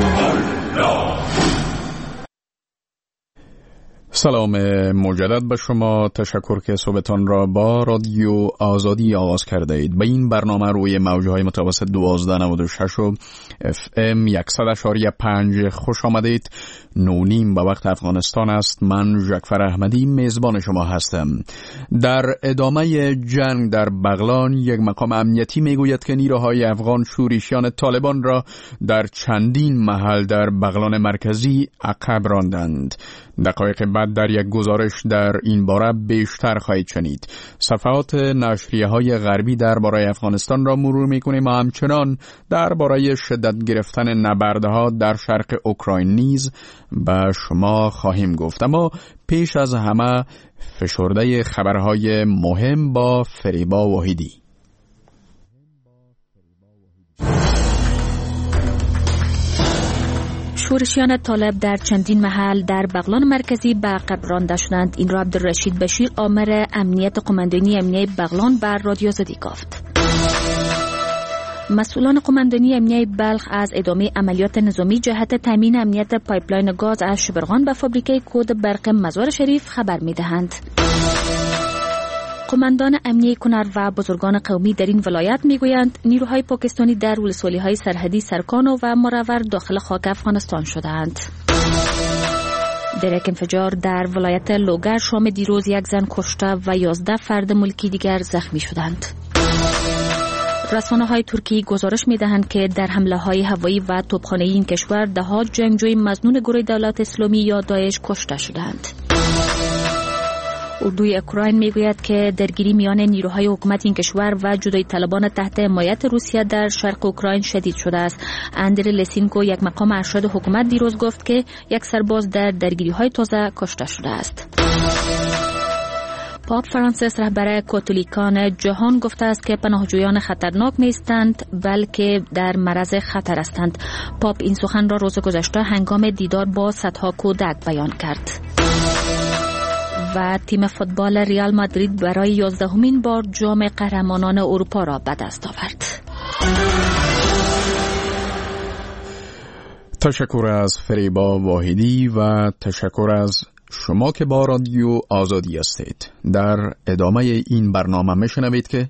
سلام مجدد به شما، تشکر که صحبتان را با رادیو آزادی آغاز کرده اید. به این برنامه روی موجهای متوسط دوازده نود و شش و اف ام صد و پنج خوش آمدید. نه نیم به وقت افغانستان است. من جعفر احمدی میزبان شما هستم. در ادامه جنگ در بغلان، یک مقام امنیتی میگوید که نیروهای افغان شورشیان طالبان را در چندین محل در بغلان مرکزی عقب راندند. دقایق بعد در یک گزارش در این باره بیشتر خواهید شنید. صفحات نشریه های غربی درباره افغانستان را مرور میکنیم و همچنان درباره شدت گرفتن نبردها در شرق اوکراین نیز به شما خواهیم گفت. اما پیش از همه فشرده خبرهای مهم با فریبا واحدی. شورشیان طالب در چندین محل در بغلان مرکزی به عقب رانده شدند. این را عبدالرشید بشیر آمر امنیت قماندانی امنیه بغلان بر رادیو آزادی گفت. مسئولان قماندانی امنیه بلخ از ادامه عملیات نظامی جهت تامین امنیت پایپلاین گاز از شبرغان به فابریکه کود برق مزار شریف خبر می‌دهند. قماندان امنیه کنر و بزرگان قومی در این ولایت میگویند نیروهای پاکستانی در ولسوالی‌های سرحدی سرکانو و مرور داخل خاک افغانستان شدند. در یک انفجار در ولایت لوگر شام دیروز یک زن کشته و یازده فرد ملکی دیگر زخمی شدند. رسانه‌های ترکی گزارش می‌دهند که در حمله‌های هوایی و توپخانه‌ای این کشور ده‌ها جنگجوی مظنون گروه دولت اسلامی یا داعش کشته شدند. اردوی اوکراین میگوید که درگیری میان نیروهای حکومت این کشور و جدایی طلبان تحت حمایت روسیه در شرق اوکراین شدید شده است. اندری لسینکو یک مقام ارشد حکومت دیروز گفت که یک سرباز در درگیری‌های تازه کشته شده است. پاپ فرانسیس رهبر کاتولیکان جهان گفته است که پناهجویان خطرناک نیستند بلکه در معرض خطر هستند. پاپ این سخن را روز گذشته هنگام دیدار با صدها کودک بیان کرد. و تیم فوتبال ریال مادرید برای یازدهمین بار جام قهرمانان اروپا را به دست آورد. تشکر از فریبا واحدی و تشکر از شما که با رادیو آزادی هستید. در ادامه این برنامه میشنوید که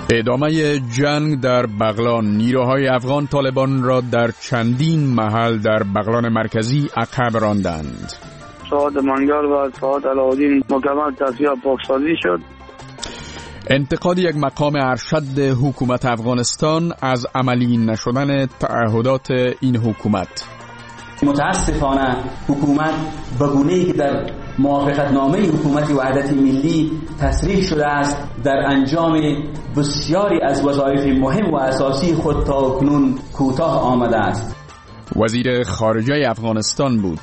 ادامه جنگ در بغلان، نیروهای افغان طالبان را در چندین محل در بغلان مرکزی عقب راندند. ساعت منگل و ساعت علاءالدین مکمل تصفیه پاکسازی شد. انتقاد یک مقام ارشد حکومت افغانستان از عملی نشدن تعهدات این حکومت. متاسفانه حکومت به گونه‌ای که در موافقتنامه حکومت وحدت ملی تصریح شده است در انجام بسیاری از وظایف مهم و اساسی خود تا کنون کوتاه آمده است. وزیر خارجه افغانستان بود.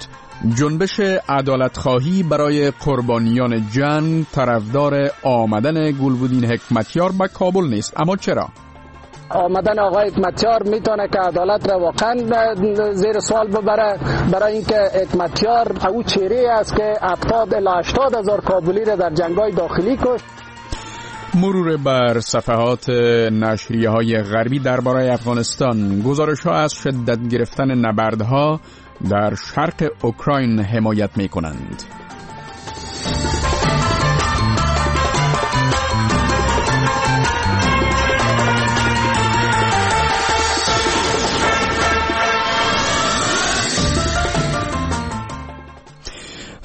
جنبش عدالتخواهی برای قربانیان جنگ طرفدار آمدن گلبدین حکمتیار به کابل نیست، اما چرا؟ آمدن آقای حکمتیار میتونه که عدالت را واقعا زیر سوال ببره، برای اینکه حکمتیار او چهره است که هفتاد الی هشتاد هزار کابلی را در جنگ‌های داخلی کشت. مرور بر صفحات نشریه های غربی درباره افغانستان. گزارش ها از شدت گرفتن نبردها در شرق اوکراین حمایت می کنند.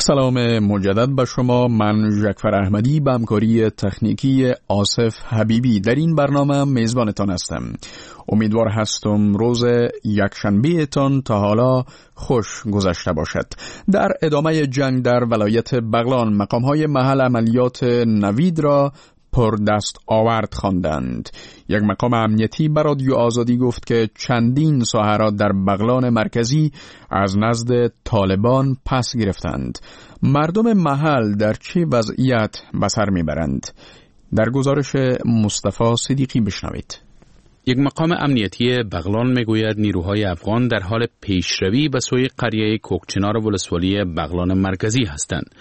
سلام مجدد به شما، من جعفر احمدی به همکاری تکنیکی آصف حبیبی در این برنامه میزبانتان هستم. امیدوار هستم روز یکشنبه تان تا حالا خوش گذشته باشد. در ادامه جنگ در ولایت بغلان، مقام‌های محل عملیات نوید را پر دست آورد خواندند. یک مقام امنیتی بر رادیو آزادی گفت که چندین ساحه را در بغلان مرکزی از نزد طالبان پس گرفتند. مردم محل در چه وضعیت به سر میبرند؟ در گزارش مصطفی صدیقی بشنوید. یک مقام امنیتی بغلان میگوید نیروهای افغان در حال پیشروی به سوی قریه کوکچنار ولسوالی بغلان مرکزی هستند.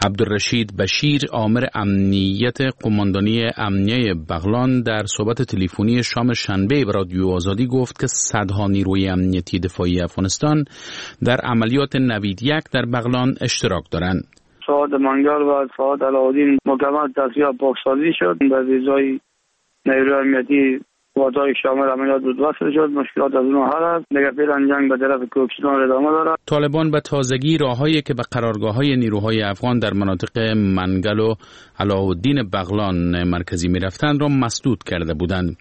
عبدالرشید بشیر، آمر امنیت قماندانی امنیه بغلان، در صحبت تلفنی شام شنبه به رادیو آزادی گفت که صدها نیروی امنیتی دفاعی افغانستان در عملیات نوید یک در بغلان اشتراک دارند. ساعت منگل و ساعت علاءالدین مکمل تصفیه پاکسازی شد. به ویزای نیروی امنیتی وادای شامل عملیات بود وصل شد. مشکلات از اون حل است. دیگه فعلا جنگ به طرف کوکچنار ادامه دارد. طالبان به تازگی راههایی که به قرارگاه‌های نیروهای افغان در مناطق منگل و علاءالدین بغلان مرکزی می‌رفتند را مسدود کرده بودند.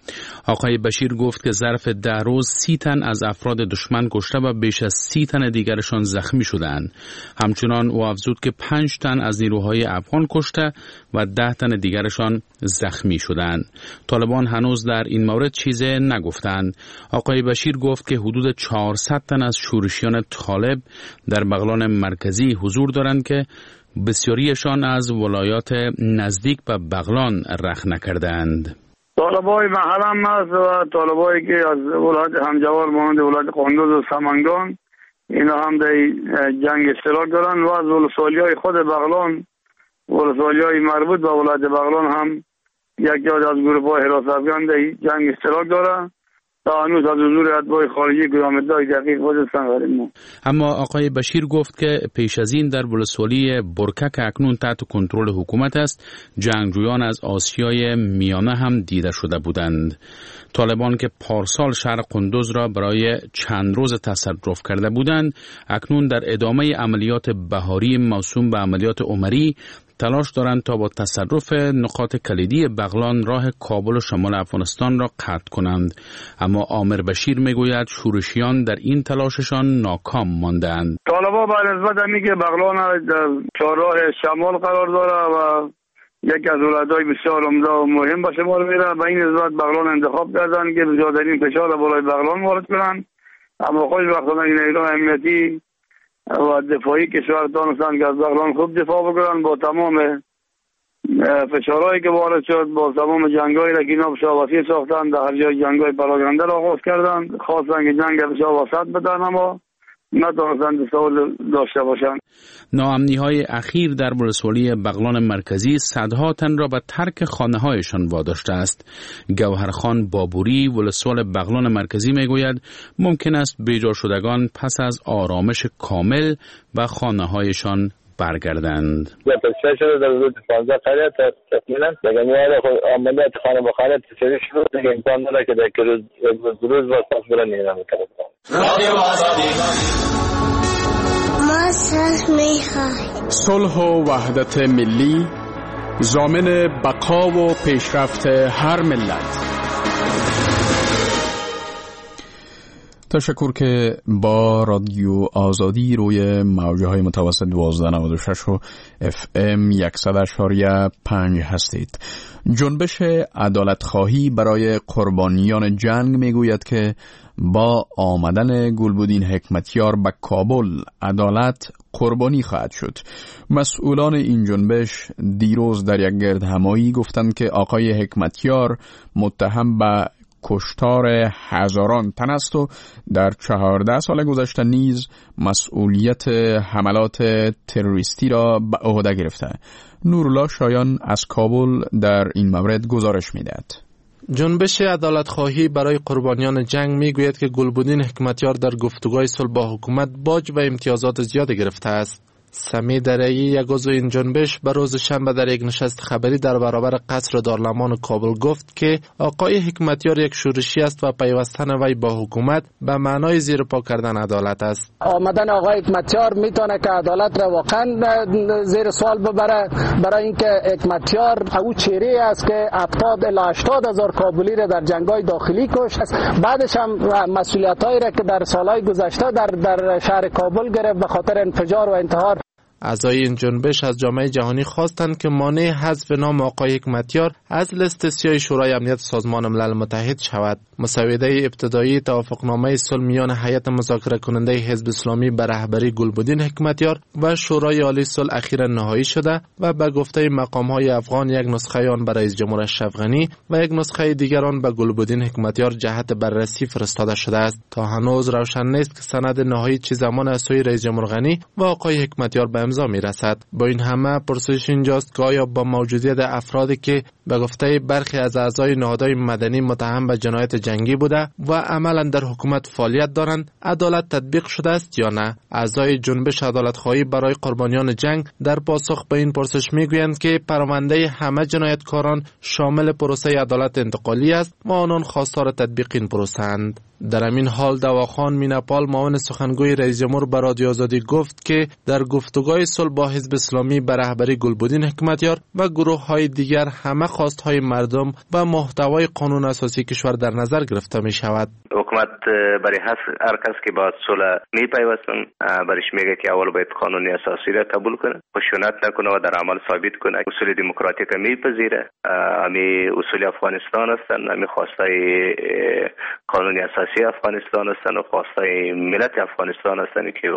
آقای بشیر گفت که ظرف ده روز سی تن از افراد دشمن کشته و بیش از سی تن دیگرشان زخمی شدند. همچنان او افزود که پنج تن از نیروهای افغان کشته و ده تن دیگرشان زخمی شدند. طالبان هنوز در این مورد چیز نگفتند. آقای بشیر گفت که حدود چهارصد تن از شورشیان طالب در بغلان مرکزی حضور دارند که بسیاریشان از ولایات نزدیک به بغلان رخ نکردند. طالبای محل هم هست و طالبایی که از ولایت همجوار مانند ولایت قندوز و سمنگان، اینا هم در جنگ اشتراک دارند و از ولسوالی‌های خود بغلان، ولسوالی‌های مربوط به ولایت بغلان هم یک جای از گروه‌های حراست افغان در جنگ اشتراک دارند. تا هنوز از حضور اتباع خارجی کدام ادعای دقیق وجود ندارد. اما آقای بشیر گفت که پیش از این در ولسوالی برکه که اکنون تحت کنترل حکومت است، جنگجویان از آسیای میانه هم دیده شده بودند. طالبان که پارسال شهر قندوز را برای چند روز تصرف کرده بودند، اکنون در ادامه عملیات بهاری موسوم به عملیات عمری تلاش دارند تا با تصرف نقاط کلیدی بغلان راه کابل و شمال افغانستان را قطع کنند. اما آمر بشیر میگوید شورشیان در این تلاششان ناکام ماندند. طالبان به نسبت همی که بغلان در چهارراه شمال قرار داره و یکی از ولایت‌های بسیار عمده و مهم به شمار میره، به این نسبت بغلان انتخاب کردند که بسیارترین فشار بالای بغلان وارد کنند. اما خوشبختانه این ایران امنیتی و دفاعی کشور دانستند که از بغلان خوب دفاع بکنن. با تمام فشارهایی که وارد شد، با تمام جنگایی را که اینا بسیار وسیع ساختند، در هر جای جنگای پراگنده را آغاز کردند، خواستند که جنگ بسیار وسط بدن، اما نتوانستند سوال داشته باشند. ناامنی های اخیر در ولسوالی بغلان مرکزی صدها تن را به ترک خانه هایشان واداشته است. گوهرخان بابوری، ولسوال بغلان مرکزی، میگوید ممکن است بیجا شدگان پس از آرامش کامل به خانه هایشان برگردند. تصفیه شده در حدود پانزده قریه تقریبا. دیگه عملیات خانه به خانه تصفیه شده، دیگه امکان نداره که در روز روز باز پس برن. ما صلح می‌خواهیم. صلح و وحدت ملی ضامن بقا و پیشرفت هر ملت. تشکر که با رادیو آزادی روی موجه های متوسط دوازده نود و شش و اف ام صد و پنج هستید. جنبش عدالت خواهی برای قربانیان جنگ میگوید که با آمدن گلبدین حکمتیار به کابل عدالت قربانی خواهد شد. مسئولان این جنبش دیروز در یک گردهمایی گفتند که آقای حکمتیار متهم به کشتار هزاران تن است و در چهارده سال گذشته نیز مسئولیت حملات تروریستی را به عهده گرفته. نورالله شایان از کابل در این مورد گزارش می‌دهد. جنبش عدالت‌خواهی برای قربانیان جنگ میگوید که گلبدین حکمتیار در گفتگوهای صلح با حکومت باج و امتیازات زیاد گرفته است. سمی درعی، یک عضو این جنبش، به روز شنبه در یک نشست خبری در برابر قصر دارالمان کابل گفت که آقای حکمتیار یک شورشی است و پیوستن وی با حکومت به معنای زیر پا کردن عدالت است. آمدن آقای حکمتیار میتونه که عدالت را واقعا زیر سوال ببره، برای اینکه حکمتیار او چهره است که هفتاد الی هشتاد هزار کابلی را در جنگ‌های داخلی کشت. بعدش هم مسئولیت‌هایی را که در سال‌های گذشته در در شهر کابل گرفت به خاطر انفجار و انتحار. اعضای این جنبش از جامعه جهانی خواستند که مانع حذف نام آقای حکمتیار از لیست سیاه شورای امنیت سازمان ملل متحد شود. مسوده ابتدایی توافقنامه صلح میان هیئت مذاکره کننده حزب اسلامی به رهبری گلبدین حکمتیار و شورای عالی صلح اخیرا نهایی شده و به گفته مقام‌های افغان یک نسخه آن به رئیس جمهور اشرف غنی و یک نسخه دیگر آن به گلبدین حکمتیار جهت بررسی فرستاده شده است. تا هنوز روشن نیست که سند نهایی چه زمان از سوی رئیس جمهور غنی و آقای حکمتیار به امضا می‌رسد. با این همه پرسش اینجاست که آیا با موجودیت افرادی که به گفته برخی از اعضای نهادهای مدنی متهم به جنایت جنگی بوده و عملا در حکومت فعالیت دارند، عدالت تطبیق شده است یا نه؟ اعضای جنبش عدالت‌خواهی برای قربانیان جنگ در پاسخ به این پرسش میگویند که پرونده همه جنایتکاران شامل پروسه عدالت انتقالی است و آنان خواستار تطبیق این پروسه اند. در همین حال دواخان میناپال، معاون سخنگوی رئیس جمهور، به رادیو آزادی گفت که در گفتگوهای صلح با حزب اسلامی به رهبری گلبدین حکمتیار و گروه‌های دیگر همه خواست‌های مردم و محتوای قانون اساسی کشور در نظر گرفته می شود. حکومت برای هر کس که با صلح می پیوستن برش میگه که اول باید قانون اساسی را قبول کنه، خشونت نکنه و در عمل ثابت کنه. اصول دموکراتیک میپذیره، امی اصول افغانستان هستند، امی خواستای قانون اساسی افغانستان هستند و خواستای ملت افغانستان هستند که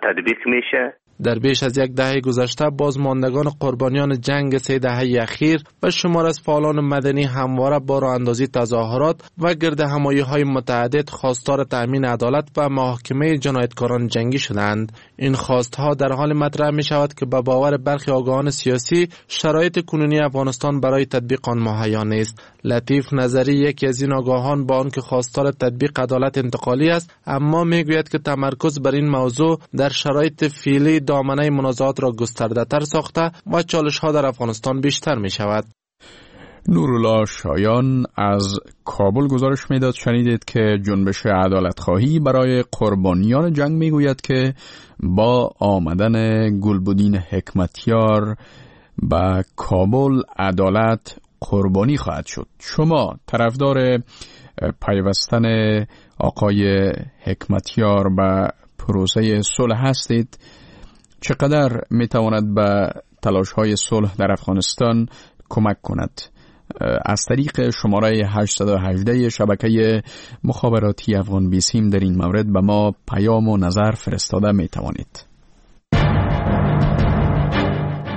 تطبیق میشه. در بیش از یک دهه گذشته بازماندگان قربانیان جنگ سه دهه اخیر و شمار از فعالان مدنی همواره با راه اندازی تظاهرات و گرد همایی های متعدد خواستار تأمین عدالت و محاکمه جنایتکاران جنگی شدند. این خواستها در حال مطرح می شود که به باور برخی آگاهان سیاسی شرایط کنونی افغانستان برای تطبیق آن مهیا نیست. لطیف نظری، یکی از این آگاهان، با آنکه خواستار تطبیق عدالت انتقالی است، اما میگوید که تمرکز بر این موضوع در شرایط فعلی دامنه منازعات را گسترده تر ساخته و چالش ها در افغانستان بیشتر می شود. نورالله شایان از کابل گزارش میداد. شنیدید که جنبش عدالتخواهی برای قربانیان جنگ میگوید که با آمدن گلبدین حکمتیار به کابل عدالت قربانی خواهد شد. شما طرفدار پیوستن آقای حکمتیار به پروسه صلح هستید؟ چقدر میتواند به تلاش‌های صلح در افغانستان کمک کند؟ از طریق شماره هشت یک هشت شبکه مخابراتی افغان بیسیم در این مورد به ما پیام و نظر فرستاده میتوانید.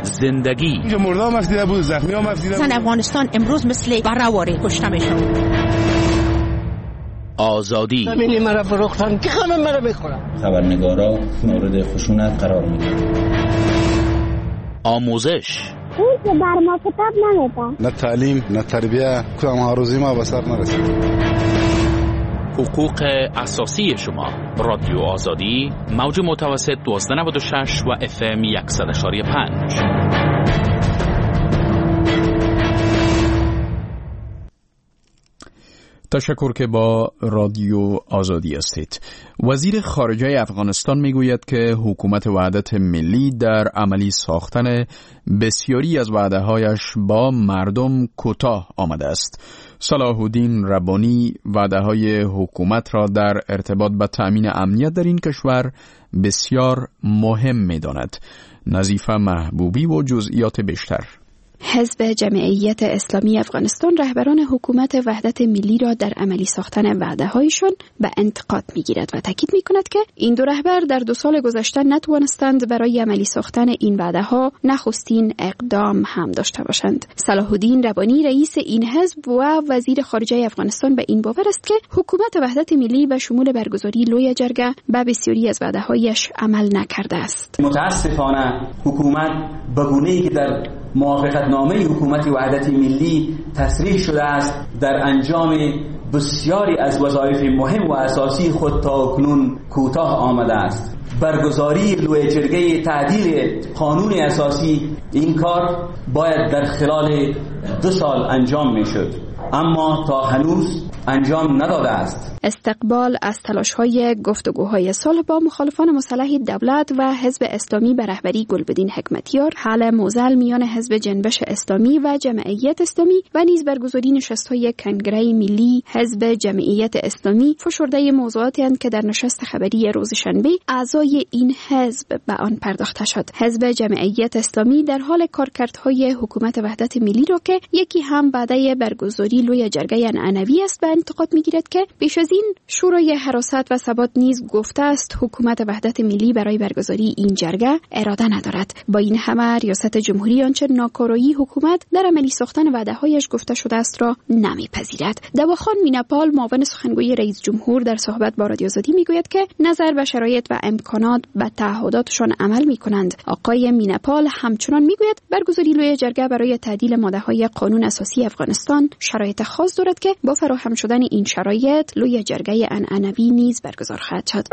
زندگی اینجا مرده هم افتیده بود، زخمی هم افتیده بود. زن افغانستان امروز مثل براواری کشته میشه. آزادی زمینی مرا فروختن که خانم مرا بخورن. خبرنگارا مورد خشونت قرار میگیرن. آموزش اون که بر ما کتاب نمیدن، نه تعلیم نه تربیه، کدام آرزوی ما به سر نرسید. حقوق اساسی شما، رادیو آزادی، موج متوسط دوازده نود و شش و اف ام صد و یک ممیز پنج. تشکر که با رادیو آزادی هستید. وزیر خارجه افغانستان میگوید که حکومت وحدت ملی در عملی ساختن بسیاری از وعده‌هایش با مردم کوتاه آمده است. صلاح الدین ربانی وعده‌های حکومت را در ارتباط با تأمین امنیت در این کشور بسیار مهم می‌داند. نظیفه محبوبی و جزئیات بیشتر. حزب جمعیت اسلامی افغانستان رهبران حکومت وحدت ملی را در عملی ساختن وعده‌هایشان به انتقاد می‌گیرد و تاکید می‌کند که این دو رهبر در دو سال گذشته نتوانستند برای عملی ساختن این وعده‌ها نخستین اقدام هم داشته باشند. صلاح الدین ربانی رئیس این حزب و وزیر خارجه افغانستان به این باور است که حکومت وحدت ملی به شمول برگزاری لوی جرگه به بسیاری از وعده‌هایش عمل نکرده است. متاسفانه حکومت به گونه‌ای که در موافقتنامه حکومت وحدت ملی تصریح شده است در انجام بسیاری از وظایف مهم و اساسی خود تا اکنون کوتاه آمده است. برگزاری لوی جرگه تعدیل قانون اساسی، این کار باید در خلال دو سال انجام میشد، اما تا هنوز انجام نداده است. استقبال از تلاش‌های گفتگوهای صلح با مخالفان مسلح دولت و حزب اسلامی به رهبری گلبدین حکمتیار، حل معضل میان حزب جنبش اسلامی و جمعیت اسلامی و نیز برگزاری نشست‌های کنگره ملی حزب جمعیت اسلامی فشرده موضوعاتی اند که در نشست خبری روز شنبه اعضای این حزب به آن پرداخته شد. حزب جمعیت اسلامی در حال کارکردهای حکومت وحدت ملی را که یکی هم وعده برگزاری لوی جرگه عنعنوی است به انتقاد می‌گیرد که بیش از این شورای حراست و ثبات نیز گفته است حکومت وحدت ملی برای برگزاری این جرگه اراده ندارد. با این همه ریاست جمهوری آنچه ناکارایی حکومت در عملی ساختن وعده‌هایش گفته شده است را نمیپذیرد. دواخان میناپال معاون سخنگوی رئیس جمهور در صحبت با رادیو آزادی میگوید که نظر به شرایط و امکانات به تعهداتشان عمل میکنند. آقای میناپال همچنان میگوید برگزاری لوی جرگه برای تعدیل ماده‌های قانون اساسی افغانستان شرایط خاص دارد که با فراهم شدن این شرایط لوی جرگه عنعنوی نیز برگزار خواهد شد.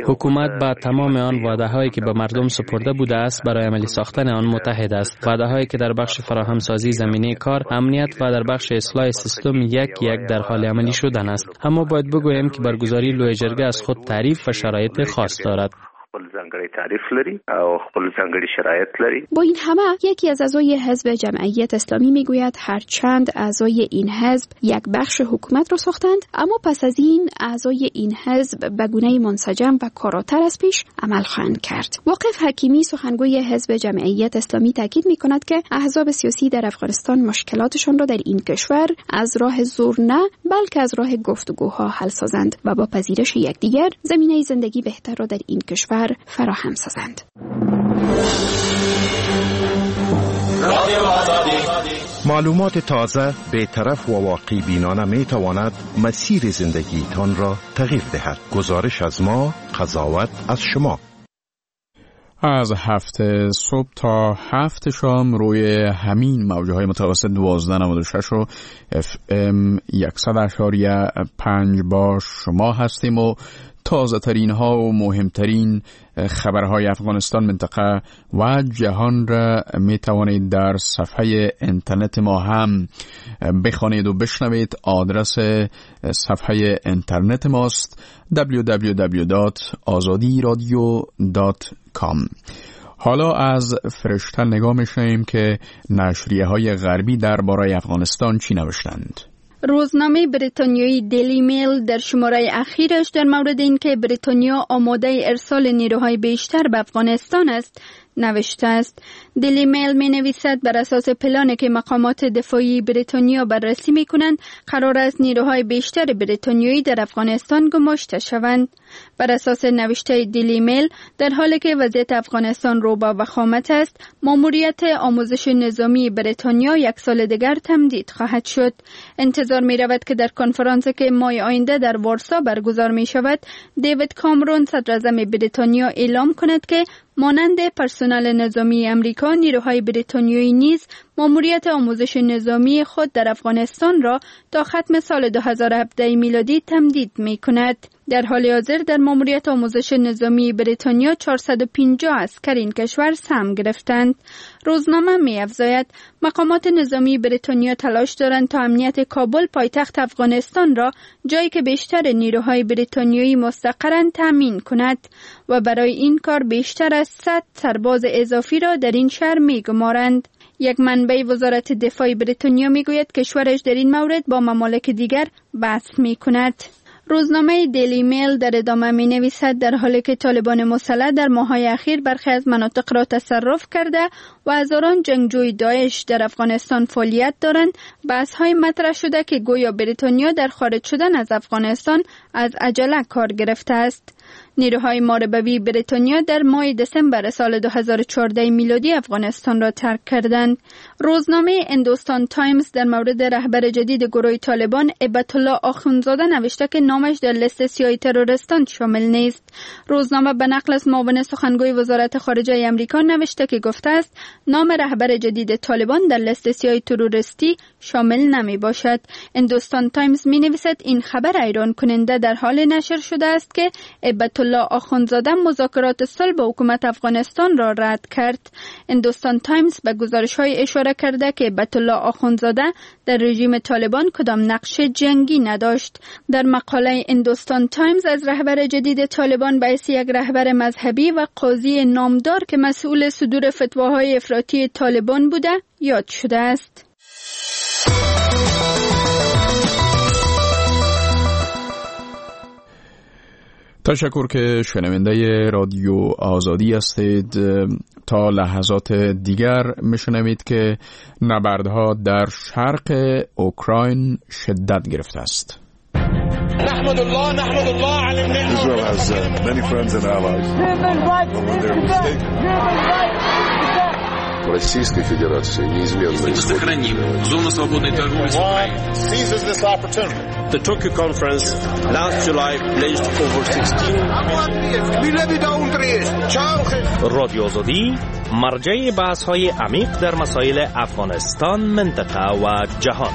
حکومت با تمام آن وعده‌هایی که به مردم سپرده بوده است برای عملی ساختن آن متحد است. وعده‌هایی که در بخش فراهم سازی زمینه کار، امنیت و در بخش اصلاح سیستم یک یک در حال عملی شدن است. اما باید بگویم که برگزاری لوی جرگه از خود تعریف و شرایط خاص دارد. با این همه یکی از اعضای حزب جمعیت اسلامی میگوید هرچند اعضای این حزب یک بخش حکومت را ساختند، اما پس از این اعضای این حزب به گونه منسجم و کاراتر از پیش عمل خواهند کرد. واقف حکیمی سخنگوی حزب جمعیت اسلامی تاکید میکند که احزاب سیاسی در افغانستان مشکلاتشان را در این کشور از راه زور نه بلکه از راه گفتگوها حل سازند و با پذیرش یکدیگر زمینه زندگی بهتر را در این کشور فراهم سازند. معلومات تازه، بی‌طرف و واقع بینانه می تواند مسیر زندگیتان را تغییر دهد. گزارش از ما، قضاوت از شما. از هفت صبح تا هفت شام روی همین موجه های متوسط دوازده نود و شش و اف ام صد اعشاریه پنج با شما هستیم و تازه ترین ها و مهمترین خبرهای افغانستان، منطقه و جهان را می توانید در صفحه اینترنت ما هم بخوانید و بشنوید. آدرس صفحه اینترنت ماست دبلیو دبلیو دبلیو دات آزادی رادیو دات کام. حالا از فرشته نگاه می‌شویم که نشریه های غربی درباره افغانستان چی نوشتند. روزنامه بریتانیایی دیلی میل در شماره اخیرش در مورد اینکه بریتانیا آماده ارسال نیروهای بیشتر به افغانستان است نوشته است. دیلی میل می نویسد بر اساس پلانی که مقامات دفاعی بریتانیا بررسی می کنند قرار است نیروهای بیشتر بریتانیایی در افغانستان گماشته شوند. بر اساس نوشته دیلی میل در حالی که وضعیت افغانستان رو به وخامت است، ماموریت آموزش نظامی بریتانیا یک سال دیگر تمدید خواهد شد. انتظار می رود که در کنفرانسی که ماه آینده در وارسا برگزار می شود، دیوید کامرون صدراعظم بریتانیا اعلام کند که مانند پرسنل نظامی امریکا، نیروهای بریتانیایی نیز ماموریت آموزش نظامی خود در افغانستان را تا ختم سال دو هزار و هفده میلادی تمدید می کند. در حال حاضر در ماموریت آموزش نظامی بریتانیا چهارصد و پنجاه عسکر این کشور سهم گرفتند. روزنامه می افزاید مقامات نظامی بریتانیا تلاش دارند تا امنیت کابل پایتخت افغانستان را، جایی که بیشتر نیروهای بریتانیایی مستقرند، تامین کند و برای این کار بیشتر از صد سرباز اضافی را در این شهر می گمارند. یک منبع وزارت دفاع بریتانیا می گوید کشورش در این مورد با ممالک دیگر بحث می کند. روزنامه دیلی میل در ادامه می نویسد در حالی که طالبان مسلح در ماه‌های اخیر برخی از مناطق را تصرف کرده و هزاران جنگجوی داعش در افغانستان فعالیت دارند، بحث‌های مطرح شده که گویا بریتانیا در خارج شدن از افغانستان از عجله کار گرفته است. نیروهای محاربوی بریتانیا در ماه دسامبر سال دو هزار و چهارده میلادی افغانستان را ترک کردند. روزنامه هندوستان تایمز در مورد رهبر جدید گروه طالبان هبت الله آخوندزاده نوشته که نامش در لیست سیاه تروریستان شامل نیست. روزنامه به نقل از معاون سخنگوی وزارت خارجه امریکا نوشته که گفته است نام رهبر جدید طالبان در لیست سیاه تروریستی شامل نمی باشد. هندوستان تایمز می نویسد این خبر حیران کننده در حال نشر شده است که هبت الله آخوندزاده مذاکرات صلح با حکومت افغانستان را رد کرد. هندوستان تایمز به گزارش‌های اشاره کرده که هبت الله آخوندزاده در رژیم طالبان کدام نقش جنگی نداشت. در مقاله هندوستان تایمز از رهبر جدید طالبان به حیث یک رهبر مذهبی و قاضی نامدار که مسئول صدور فتواهای افراطی طالبان بوده یاد شده است. تشکر که شنونده رادیو آزادی هستید. تا لحظات دیگر میشنوید که نبردها در شرق اوکراین شدت گرفته است. نحمد الله نحمد الله على النعمة. Israel has uh, many friends and allies. But when they're mistaken, Российской Федерации неизменно Мы сохраним зону свободной торговли с Украиной. The Tokyo conference last July pledged over sixteen. رادیو آزادی مرجع بحث‌های عمیق در مسائل افغانستان، منطقه و جهان.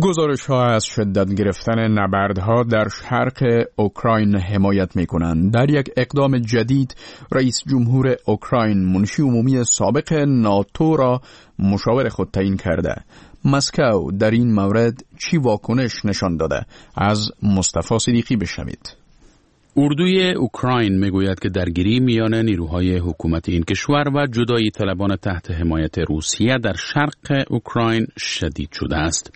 گزارش ها از شدت گرفتن نبردها در شرق اوکراین حمایت می کنند. در یک اقدام جدید رئیس جمهور اوکراین منشی عمومی سابق ناتو را مشاور خود تعیین کرده. مسکو در این مورد چی واکنش نشان داده؟ از مصطفی صدیقی بشنوید. اردوی اوکراین میگوید که درگیری میان نیروهای حکومت این کشور و جدایی طلبان تحت حمایت روسیه در شرق اوکراین شدید شده است.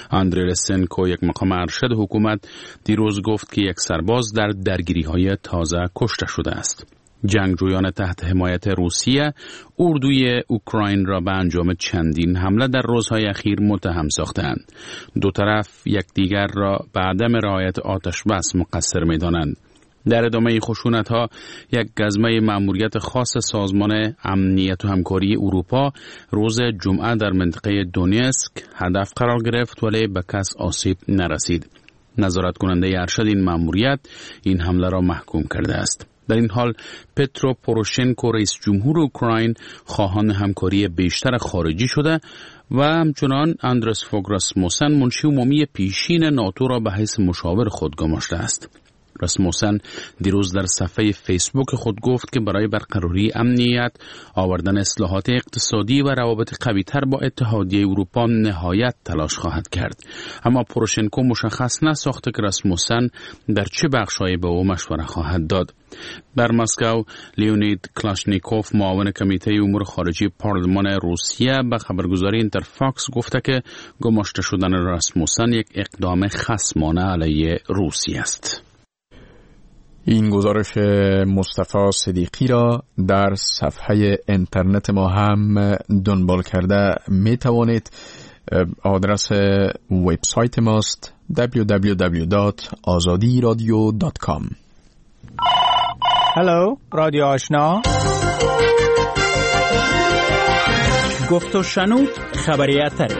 آندری لسنکو، یک مقام ارشد حکومت، دیروز گفت که یک سرباز در درگیری‌های تازه کشته شده است. جنگجویان تحت حمایت روسیه اردوی اوکراین را به انجام چندین حمله در روزهای اخیر متهم ساختند. دو طرف یکدیگر را به عدم رعایت آتش بس مقصر می‌دانند. در ادامه خشونت‌ها یک گزمه مأموریت خاص سازمان امنیت و همکاری اروپا روز جمعه در منطقه دونیسک هدف قرار گرفت، ولی به کس آسیب نرسید. نظارت کننده ارشد این مأموریت این حمله را محکوم کرده است. در این حال پترو پوروشنکو، رئیس جمهور اوکراین، خواهان همکاری بیشتر خارجی شده و همچنان اندرس فوگ راسموسن، منشی عمومی پیشین ناتو را به حیث مشاور خود گماشته است. راسموسن دیروز در صفحه فیسبوک خود گفت که برای برقراری امنیت، آوردن اصلاحات اقتصادی و روابط قوی‌تر با اتحادیه اروپا نهایت تلاش خواهد کرد. اما پروشنکو مشخص نساخته که راسموسن در چه بخش‌هایی به او مشوره خواهد داد. در مسکو، لیونید کلاشنیکوف، معاون کمیته امور خارجی پارلمان روسیه، به خبرگزاری اینترفاکس گفته که گماشته شدن راسموسن یک اقدام خصمانه علیه روسیه است. این گزارش مصطفی صدیقی را در صفحه اینترنت ما هم دنبال کرده می توانید. آدرس وبسایت ماست دبلیو دبلیو دبلیو دات آزادی رادیو دات کام. هلو رادیو آشنا، گفت و شنود، خبری اتری،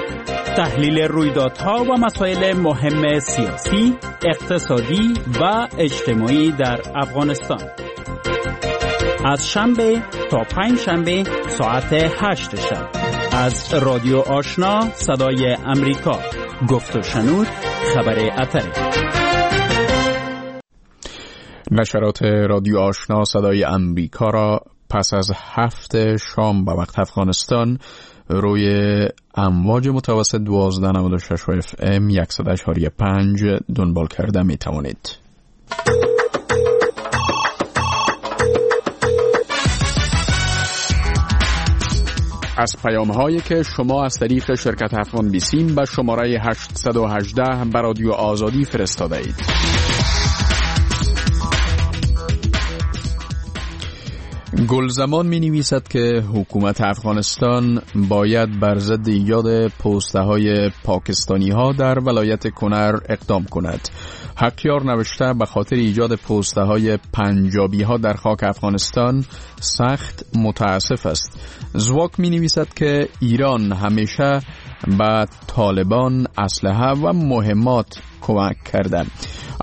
تحلیل رویدادها و مسائل مهم سیاسی، اقتصادی و اجتماعی در افغانستان. از شنبه تا پنج شنبه ساعت هشت شب از رادیو آشنا صدای امریکا، گفت و شنود، خبر اتری. نشرات رادیو آشنا صدای امریکا را پس از هفت شام به وقت افغانستان روی امواج متوسط دوازده نود و شش اف ام صد و پنج دنبال کرده می توانید. از پیام هایی که شما از طریق شرکت افغان بیسیم به شماره هشت یک هشت به رادیو آزادی فرستاده اید. گلزمان می نویسد که حکومت افغانستان باید بر ضد ایجاد پوسته های پاکستانی ها در ولایت کنر اقدام کند. حقیار نوشته به خاطر ایجاد پوسته های پنجابی ها در خاک افغانستان سخت متاسف است. زواک می نویسد که ایران همیشه به طالبان اسلحه و مهمات کمک کرده.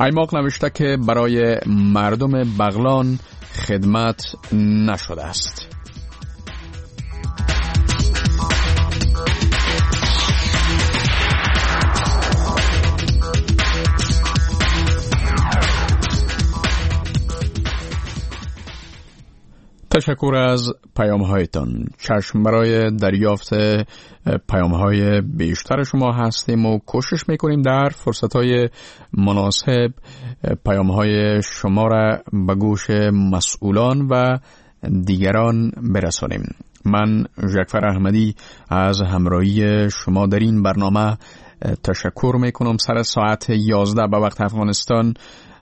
ایماق نوشته که برای مردم بغلان خدمت نشده است. تشکر از پیام هایتان. چشم برای دریافت پیام های بیشتر شما هستیم و کوشش میکنیم در فرصت های مناسب پیام های شما را به گوش مسئولان و دیگران برسانیم. من جعفر احمدی از همراهی شما در این برنامه تشکر میکنم. سر ساعت یازده به وقت افغانستان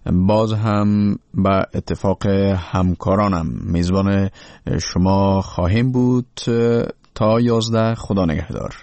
باز هم به اتفاق همکارانم میزبان شما خواهیم بود تا یازده. خدا نگهدار.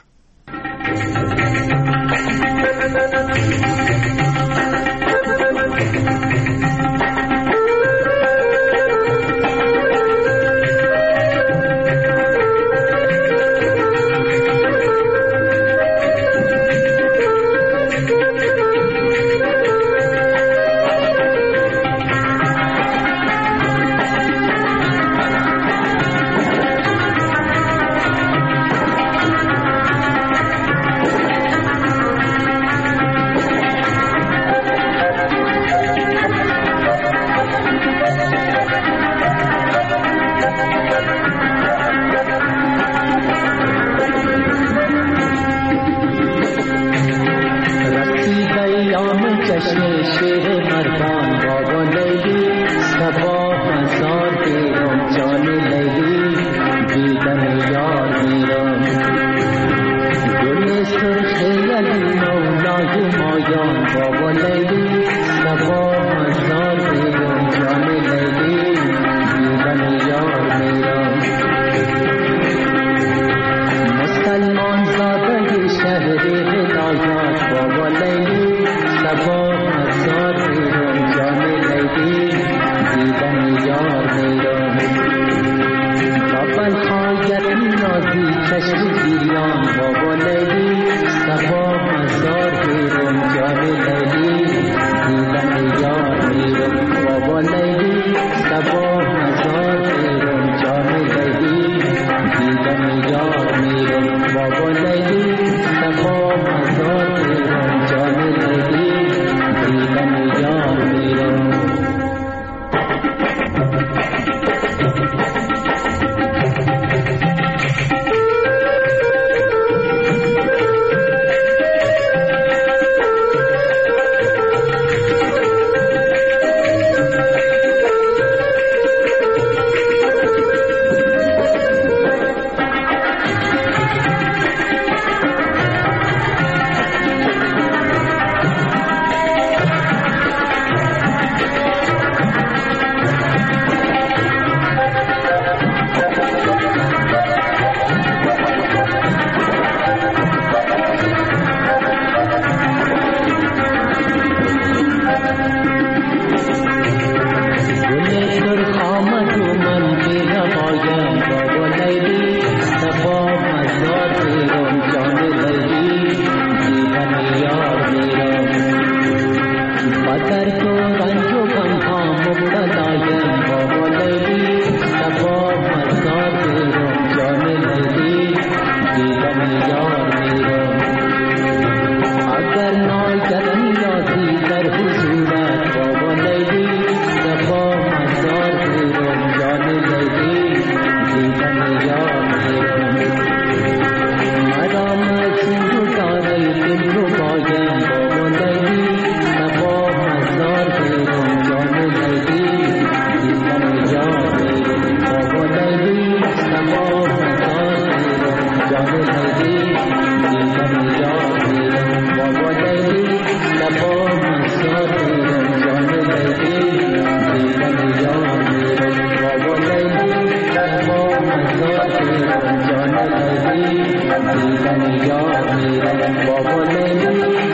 دیدن یار میرم، با گل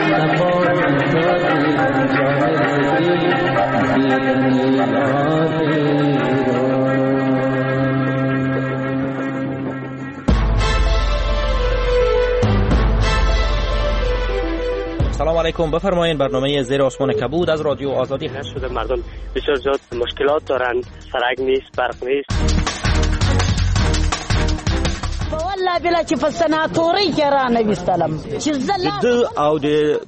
صفا دیدم جان دیدن یار میرم. سلام علیکم، بفرمایین برنامه زیر آسمان کبود از رادیو آزادی. هست شده مردم بسیار زیاد مشکلات دارند، سرک نیست، برق نیست. والله بلا چې په سناتوري کې را نه وستلم چې زله د او د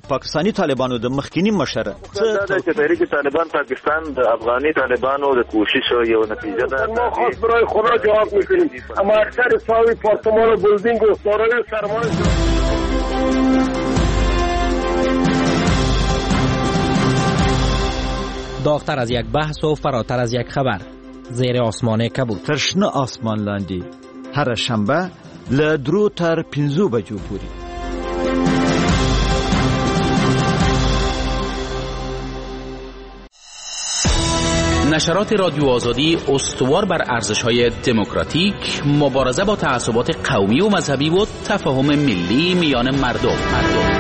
پاکستاني طالبانو د مخکینی مشر چې تحریک طالبان پاکستان د افغاني طالبانو د کوشش یو نتیجه ده. ما خاص برای خدا جواب میکنیم، اما اکثر ساوی پارتمان و بلدینگ و دارای سرمایه. داغتر از یک بحث و فراتر از یک خبر، زیر آسمان کبود. تر شنه آسمان لاندې هره شنبه له درو تر پنځو بجو پورې. نشرات رادیو آزادی استوار بر ارزش‌های دموکراتیک، مبارزه با تعصبات قومی و مذهبی و تفاهم ملی میان مردم. مردم.